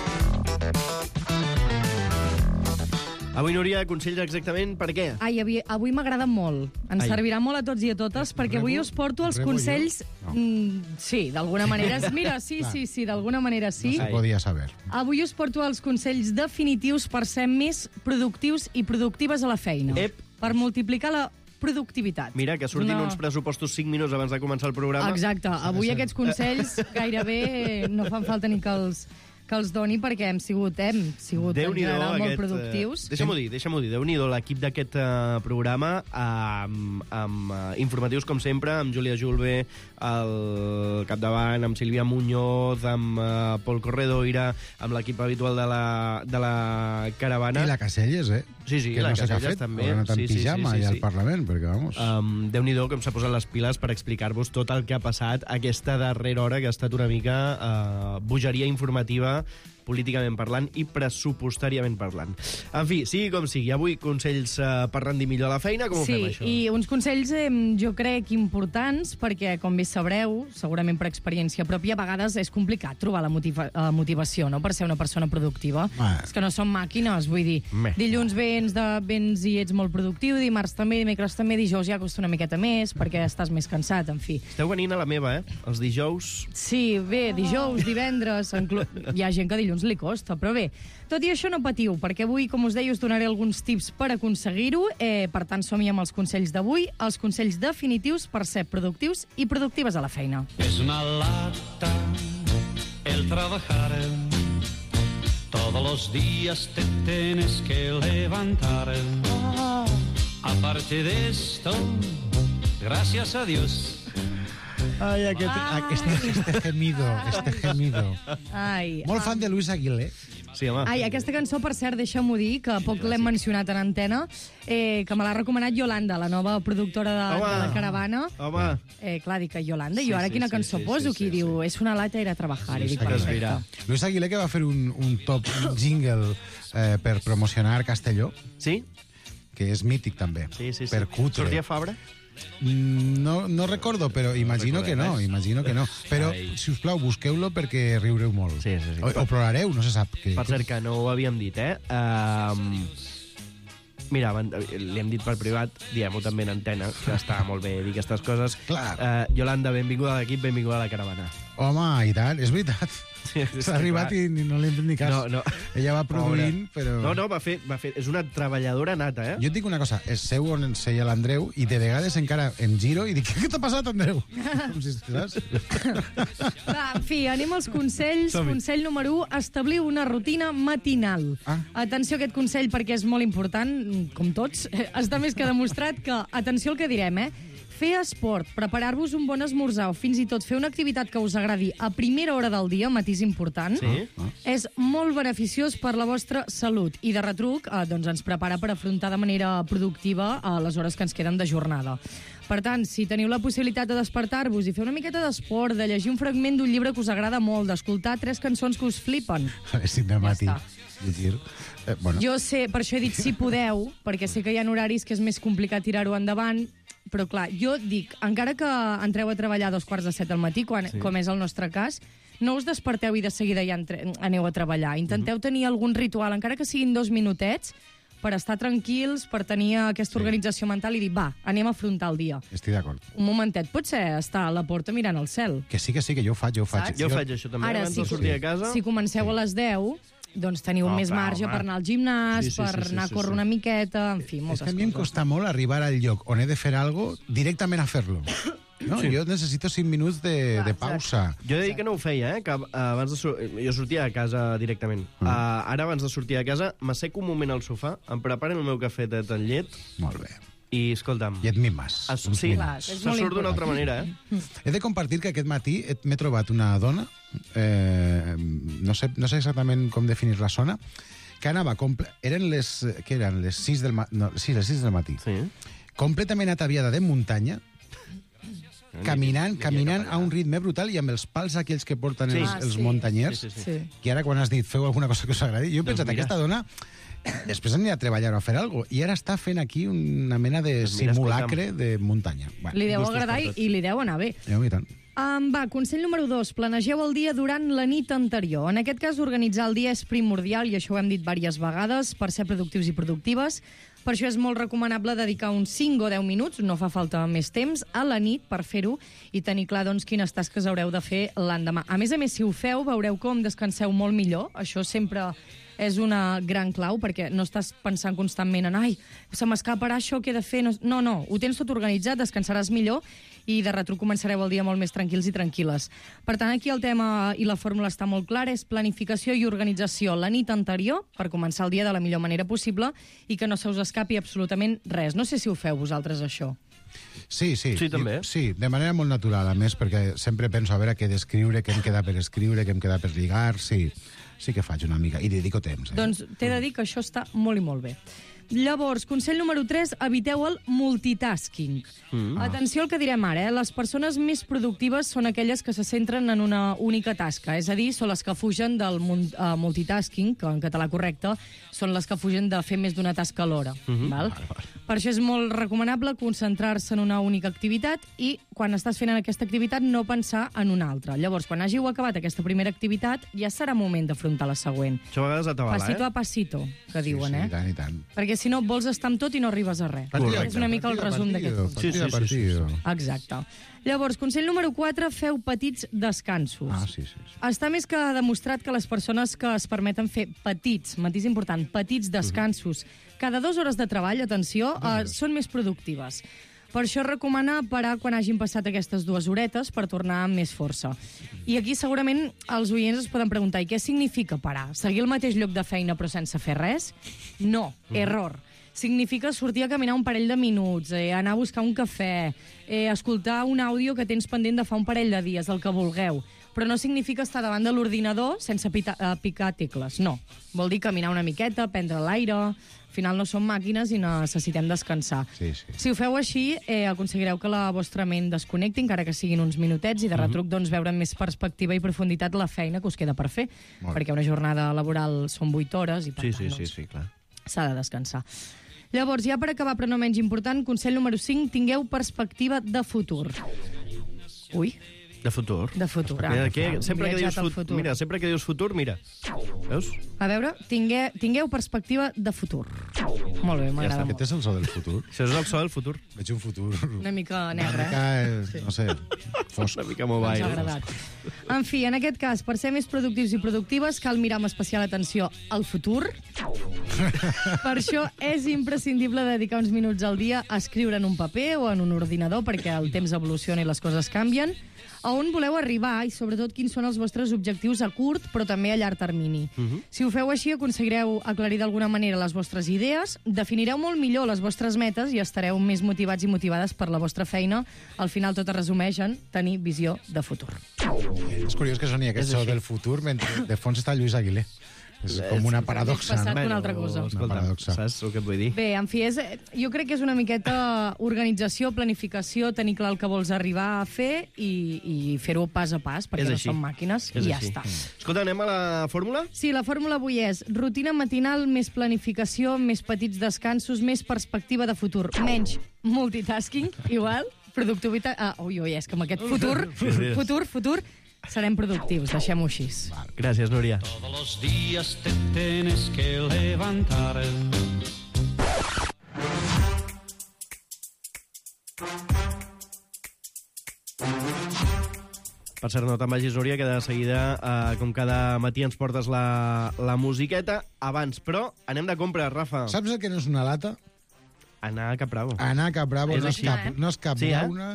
Avui, Núria, consells exactament per què? Ai, avui, avui m'agrada molt. Ens Ai. servirà molt a tots i a totes, perquè avui us porto els Rebo consells... No. Mm, sí, d'alguna manera... Mira, sí, sí, sí, d'alguna manera sí. No se podia saber. Avui us porto els consells definitius per ser més productius i productives a la feina. Ep. Per multiplicar la productivitat. Mira, que surtin Una... uns pressupostos cinc minuts abans de començar el programa. Exacte. Avui aquests consells gairebé no fan falta ni que els... que els doni, perquè hem sigut, hem sigut en general molt productius. Eh, Deixa'm-ho dir, deixa'm-ho dir. Déu-n'hi-do l'equip d'aquest uh, programa, amb, amb uh, informatius, com sempre, amb Júlia Julve al capdavant, amb Sílvia Muñoz, amb uh, Pol Corredoira, amb l'equip habitual de la, de la caravana. I la Caselles, eh? Sí, sí, que la no sé què ha Caselles fet, també. ha anat en sí, sí, pijama sí, sí, allà sí. al Parlament, perquè, vamos... Um, Déu-n'hi-do com s'ha posat les piles per explicar-vos tot el que ha passat aquesta darrera hora, que ha estat una mica uh, bogeria informativa, políticament parlant i pressupostàriament parlant. En fi, sigui com sigui, avui consells uh, per rendir millor la feina, com ho sí, fem, això? Sí, i uns consells eh, jo crec importants, perquè, com bé sabreu, segurament per experiència pròpia, a vegades és complicat trobar la, motiva la motivació, no?, per ser una persona productiva. Ah. És que no som màquines, vull dir, Meh. dilluns vens, de, vens i ets molt productiu, dimarts també, dimecres també, dijous ja costa una miqueta més, perquè estàs més cansat, en fi. Esteu venint a la meva, eh? Els dijous... Sí, bé, dijous, divendres... Hi ha gent que dilluns li costa, però bé, tot i això no patiu, perquè avui, com us deia, us donaré alguns tips per aconseguir-ho. Eh, per tant, som-hi amb els consells d'avui, els consells definitius per ser productius i productives a la feina. Es una lata el trabajar, todos los días te tienes que levantar. Aparte de esto, gracias a Dios. Ai, aquest, este, este gemido, este gemido. Ai, Molt fan de Luis Aguilé. Sí, home. Ai, aquesta cançó, per cert, deixa'm-ho dir, que poc l'hem mencionat en antena, eh, que me l'ha recomanat Yolanda, la nova productora de, Home. de la Caravana. Home. Eh, clar, dic que Yolanda, i Sí, jo ara sí, quina sí, cançó sí, poso? sí, Qui sí, diu, és una lata ir a trabajar. I dic, perfecte. Luis Aguilé, que va fer un, un top jingle eh, per promocionar Castelló. Sí? Que és mític, també. Sí, sí, sí. Per cutre. Sortia Fabra? No, no recordo, però imagino No que no, recordem, eh? imagino que no. Però, Ai. si us plau, busqueu-lo perquè riureu molt. Sí, sí, sí. O, o plorareu, no se sap. Que... Per cert, que no ho havíem dit, eh? Um, mira, van- li hem dit per privat, diem-ho també en antena, que està molt bé dir aquestes coses. Clar. Uh, Yolanda, benvinguda a l'equip, benvinguda a la caravana. Home, i tant, és veritat. Sí, és S'ha que arribat clar. i ni- no li hem fet ni cas. No, no. Ella va produint, Pobre. però... No, no, va fer, va fer... És una treballadora nata, eh? Jo et dic una cosa, es seu on ens seia l'Andreu i de vegades encara em giro i dic, què t'ha passat, Andreu? Com si, saps? Va, en fi, anem als consells. Som-hi. Consell número u, establir una rutina matinal. Ah. Atenció a aquest consell perquè és molt important, com tots. Està més que demostrat que, atenció al que direm, eh? Fer esport, preparar-vos un bon esmorzar o fins i tot fer una activitat que us agradi a primera hora del dia, matís important, Sí. és molt beneficiós per la vostra salut i de retruc eh, doncs ens prepara per afrontar de manera productiva a les hores que ens queden de jornada. Per tant, si teniu la possibilitat de despertar-vos i fer una miqueta d'esport, de llegir un fragment d'un llibre que us agrada molt, d'escoltar tres cançons que us flipen, A les cinc del matí. està. Llegir. Eh, bueno. jo sé, per això he dit si podeu, perquè sé que hi ha horaris que és més complicat tirar-ho endavant, però clar, jo dic, encara que entreu a treballar a dos quarts de set al matí, quan, Sí. com és el nostre cas, no us desperteu i de seguida ja entre, aneu a treballar. Intenteu tenir algun ritual, encara que siguin dos minutets, per estar tranquils, per tenir aquesta organització mental i dir, va, anem a afrontar el dia. Estic d'acord. Un momentet, potser estar a la porta mirant al cel. Que sí, que sí, que jo ho faig, jo ho faig. Jo faig això també, Ara, abans si, de sortir a casa. si comenceu a les deu, doncs teniu Oh, més clar, marge home. per anar al gimnàs, Sí, sí, per sí, sí, anar sí, a córrer sí. una miqueta, en fi, És moltes que a mi em coses. costa molt arribar al lloc on he de fer alguna cosa directament a fer-lo. No? Sí. Jo necessito cinc minuts de, de pausa. Jo he de dir que no ho feia, eh? Que abans de sur... Jo sortia a casa directament. Mm. Uh, ara, abans de sortir a casa, m'asseco un moment al sofà, em preparen el meu cafetet en llet... Molt bé. I, escolta'm... I et mimes. Es, uns sí, minuts. se surt d'una altra manera, eh? He de compartir que aquest matí et- m'he trobat una dona, eh, no, sé, no sé exactament com definir la zona, que anava... Comple... Eren les... Què eren? Les sis del, ma... no, sí, les sis del matí. Sí. Completament ataviada de muntanya, caminant, caminant a un ritme brutal i amb els pals aquells que porten Sí. els, Ah, els sí. muntanyers, Sí, sí, sí. Sí. que ara quan has dit feu alguna cosa que us agradi, jo he Doncs pensat, mira. aquesta dona després anirà a treballar o a fer alguna cosa, i ara està fent aquí una mena de Doncs mira, simulacre de muntanya. Bueno, Li deu gustos agradar i, portes. i li deu anar bé. ja, i tant. Um, va, consell número dos. Planegeu el dia durant la nit anterior. En aquest cas, organitzar el dia és primordial, i això ho hem dit diverses vegades, per ser productius i productives. Per això és molt recomanable dedicar uns cinc o deu minuts, no fa falta més temps, a la nit per fer-ho i tenir clar doncs, quines tasques haureu de fer l'endemà. A més a més, si ho feu, veureu com descanseu molt millor. Això sempre és una gran clau, perquè no estàs pensant constantment en ai, se m'escaparà això, què he de fer? No, no, ho tens tot organitzat, descansaràs millor i de retruc començareu el dia molt més tranquils i tranquil·les. Per tant, aquí el tema i la fórmula està molt clara, és planificació i organització la nit anterior per començar el dia de la millor manera possible i que no se us escapi absolutament res. No sé si ho feu vosaltres, això. Sí, sí. Sí, també. Jo, sí, de manera molt natural, a més, perquè sempre penso a veure què d'escriure, què em queda per escriure, què em queda per lligar, sí. Sí que faig una mica, i dedico temps. Eh? Doncs t'he de dir que això està molt i molt bé. Llavors, consell número tres, eviteu el multitasking. Mm. Atenció al que direm ara, eh? Les persones més productives són aquelles que se centren en una única tasca, és a dir, són les que fugen del mun- uh, multitasking, que en català correcte, són les que fugen de fer més d'una tasca alhora. Mhm. Val? Per això és molt recomanable concentrar-se en una única activitat i, quan estàs fent aquesta activitat, no pensar en una altra. Llavors, quan hàgiu acabat aquesta primera activitat, ja serà moment d'afrontar la següent. Això a vegades atabala, Passito eh? a passito, que diuen, sí, eh? I tant, i tant. Perquè si no vols estar amb tot i no arribes a res. Partida, És una mica el partida, resum d'aquest partido, consell. partida, partido. Exacte. Llavors, consell número quatre, feu petits descansos. Ah, sí, sí. sí. Està més que demostrat que les persones que es permeten fer petits, matís important, petits descansos, cada dues hores de treball, atenció, eh, són més productives. Per això recomana parar quan hagin passat aquestes dues horetes per tornar amb més força. I aquí segurament els oients es poden preguntar, i què significa parar? Seguir el mateix lloc de feina però sense fer res? No, error. significa sortir a caminar un parell de minuts, eh, anar a buscar un cafè, eh, escoltar un àudio que tens pendent de fa un parell de dies, el que vulgueu. Però no significa estar davant de l'ordinador sense pita, uh, picar tecles, no. Vol dir caminar una miqueta, prendre l'aire... Al final no som màquines i necessitem descansar. Sí, sí. Si ho feu així, eh, aconseguireu que la vostra ment desconnecti, encara que siguin uns minutets, i de retruc doncs, veure amb més perspectiva i profunditat la feina que us queda per fer. Perquè una jornada laboral són vuit hores i per sí, tant sí, doncs, sí, sí, clar. s'ha de descansar. Llavors, ja per acabar, però no menys important, consell número cinc, tingueu perspectiva de futur. Ui... De futur. De futur, ah. Mira, que, sempre, que dius Viatjat al futur, futur. mira, sempre que dius futur, mira. Veus? A veure, tingueu, tingueu perspectiva de futur. Molt bé, m'agrada molt. Aquest és el so del futur. Això és el so del futur. Veig un futur... Una mica negre, Una mica, eh? eh? No sé, fosc. Una mica mobile. Ens ha agradat. En fi, en aquest cas, per ser més productius i productives, cal mirar amb especial atenció al futur. Per això és imprescindible dedicar uns minuts al dia a escriure en un paper o en un ordinador, perquè el temps evoluciona i les coses canvien, a on voleu arribar i, sobretot, quins són els vostres objectius a curt, però també a llarg termini. Uh -huh. Si ho feu així, aconseguireu aclarir d'alguna manera les vostres idees, definireu molt millor les vostres metes i estareu més motivats i motivades per la vostra feina. Al final, tot es resumeix en tenir visió de futur. És curiós que soni aquest so del futur mentre de fons està Lluís Aguilé. És com una paradoxa. Passat una altra cosa. Una paradoxa. Saps el que et vull dir? Bé, en fi, és, jo crec que és una miqueta organització, planificació, tenir clar el que vols arribar a fer i, i fer-ho pas a pas, perquè És no així. som màquines, És i ja així. està. Escolta, anem a la fórmula? Sí, la fórmula avui és rutina matinal, més planificació, més petits descansos, més perspectiva de futur, menys multitasking, igual, productivitat... Ah, ui, ui, és que amb aquest futur, futur, futur, serem productius, deixem-ho així. Gràcies, Núria. Todos los días te tienes que levantar. Per cert, no te'n vagis, Núria, que de seguida, eh, com cada matí ens portes la, la musiqueta. Abans, però, anem de compra, Rafa. Saps el que no és una lata? Anar a Cap Bravo. Anar a Cap Bravo És no és així, cap, eh? no és cap Sí, eh? llauna.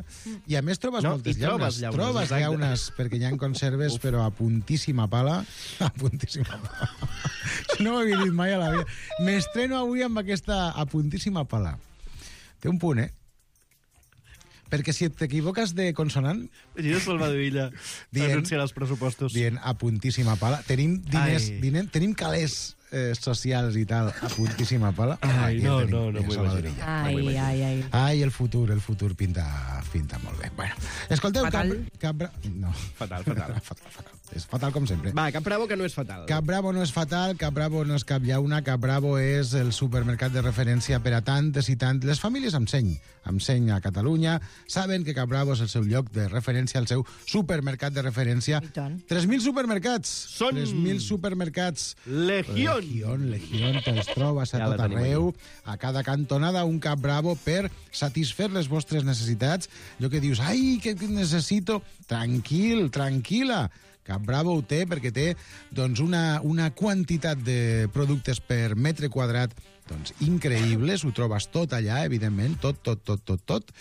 I a més trobes No, moltes i trobes llaunes. llaunes, Trobes exacte. llaunes, perquè hi ha conserves, Uf. però a puntíssima pala. A puntíssima pala. Això no ho havia dit mai a la vida. M'estreno avui amb aquesta a puntíssima pala. Té un punt, eh? Perquè si t'equivoques de consonant... Imagina Salvador Illa anunciant els pressupostos. Dient a puntíssima pala. Tenim diners, dinem, tenim calés eh, socials i tal a puntíssima pala. Ai, no, tenim, no, no m'ho imagino. Ai, ai, ai. Ai, el futur, el futur pinta, pinta molt bé. Bueno, escolteu, Fatal. Cap, Cap Bra... No. Fatal, fatal. fatal, fatal. És fatal com sempre. Va, Cap Bravo que no és fatal. Cap Bravo no és fatal, Cap Bravo no és cap llauna, Cap Bravo és el supermercat de referència per a tantes i tant. Les famílies amb seny, amb seny a Catalunya, saben que Cap Bravo és el seu lloc de referència, el seu supermercat de referència. tres mil supermercats! Són... tres mil supermercats. Legión! Legión, Legión, te'ls trobes a Ja la tot tenim arreu. A cada cantonada un Cap Bravo per satisfer les vostres necessitats. Allò que dius, ai, que necessito... Tranquil, tranquil·la. Cap Bravo ho té perquè té doncs, una, una quantitat de productes per metre quadrat doncs, increïbles. Ho trobes tot allà, evidentment, tot, tot, tot, tot, tot.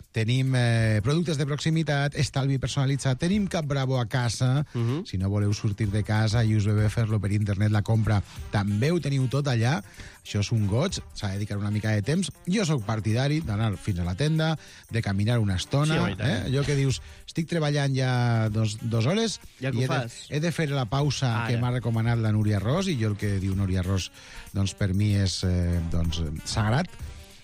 Tenim eh, productes de proximitat, estalvi personalitzat, tenim Cap Bravo a casa. Uh -huh. Si no voleu sortir de casa i us ve bé fer-lo per internet, la compra, també ho teniu tot allà. Això és un goig, s'ha de dedicar una mica de temps. Jo sóc partidari d'anar fins a la tenda, de caminar una estona. Sí, home, i tant. eh? Allò que dius, estic treballant ja dos, dos hores Ja que i ho he de, fas. he de fer la pausa Ara. que m'ha recomanat la Núria Ros, i jo el que diu Núria Ros, doncs, per mi és eh, doncs, sagrat.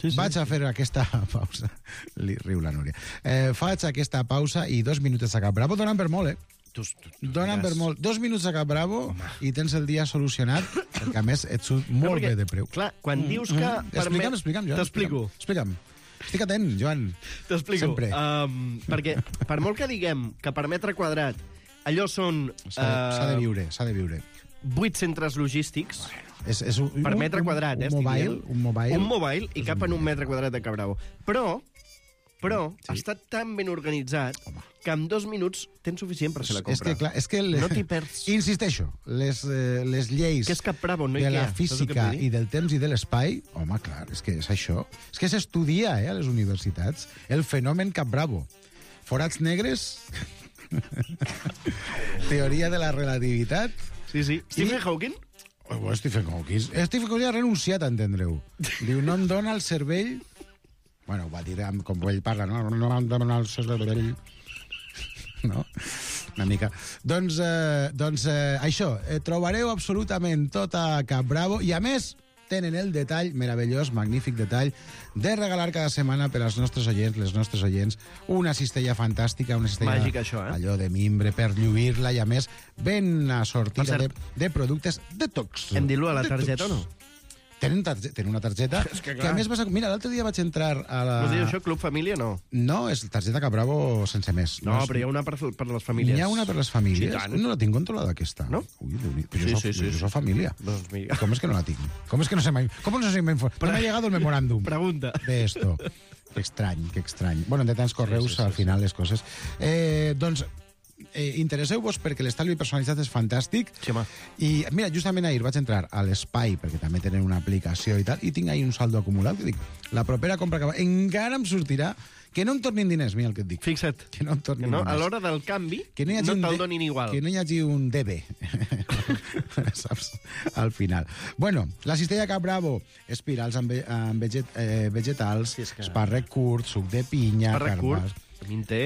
Sí, sí. Vaig a fer aquesta pausa. Li riu la Núria. Eh, faig aquesta pausa i dos minuts a Cap Bravo donen per molt, eh? Tu, tu, tu Donen per molt. Dos minuts a Cap Bravo Home. i tens el dia solucionat, perquè a més et surt molt perquè, bé de preu. Clar, quan mm. dius que... Mm. Explica'm, explica'm, Joan. T'explico. Explica'm. Estic atent, Joan. T'explico. Sempre. Um, perquè, per molt que diguem que per metre quadrat allò són... S'ha de, s'ha de viure, s'ha de viure. Vuit centres logístics... És, és un, per metre quadrat, eh? Un mobile, un mobile. Un mobile i cap en un metre quadrat de Cap Bravo. Però, però, sí. està tan ben organitzat Home. que en dos minuts tens suficient per fer la compra. És que, clar, és que les, no t'hi perds. Insisteixo, les, eh, les lleis que és Cap Bravo, no de la Ikea, física i del temps i de l'espai, home, clar, és que és això. És que s'estudia eh, a les universitats el fenomen Cap Bravo. Forats negres, teoria de la relativitat... Sí, sí. Stephen Hawking? Oh, Stephen Hawking. Stephen Hawking ha renunciat, entendreu. Diu, no em dona el cervell... Bueno, ho va dir com ell parla, no? No em dona el cervell... No? Una mica. Doncs, eh, doncs eh, això, eh, trobareu absolutament tot a Cap Bravo i, a més, tenen el detall meravellós, magnífic detall, de regalar cada setmana per als nostres oients, les nostres oients, una cistella fantàstica, una cistella Màgica, això, eh? allò de mimbre per lluir-la i, a més, ben assortida de, de productes detox. Hem dit-lo a la targeta o no? Tenen, targe tenen una targeta És que, que, a més, vas a... Mira, l'altre dia vaig entrar a la... No diu això, Club Família, no? No, és targeta Cap Bravo sense més. No, no és... però hi ha una per, per les famílies. N'hi ha una per les famílies? Sí, tant. No la tinc controlada, aquesta. No? Ui, però Sí, jo, sí, soc, sí, jo sí. soc família. Doncs mira. Com és que no la tinc? Com és que no se m'ha... Com no se m'ha informat? No m'ha llegado el memorándum. Pregunta. De esto. Que estrany, que estrany. Bueno, de tants correus, Sí, sí, sí, al sí. final, les coses. Eh, doncs, eh, interesseu-vos perquè l'estalvi personalitzat és fantàstic. Sí, home. I, mira, justament ahir vaig entrar a l'Espai, perquè també tenen una aplicació i tal, i tinc ahir un saldo acumulat, que dic, la propera compra que va... Encara em sortirà que no em tornin diners, mira el que et dic. Fixa't. Que no em tornin Que no, a diners. l'hora del canvi, Que no, hi hagi no un te'l de- donin igual. Que no hi hagi un D B, saps? Al final. Bueno, la cistella Cap Bravo, espirals amb, ve amb veget eh, vegetals, sí, que... espàrrec curt, suc de pinya... Espàrrec carbars. curt, a mi em té...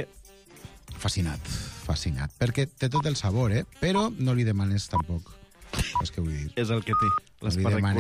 Fascinat, fascinat. Perquè té tot el sabor, eh? Però no li demanes tampoc. És que vull dir. És el que té, No li l'espàrrec demanes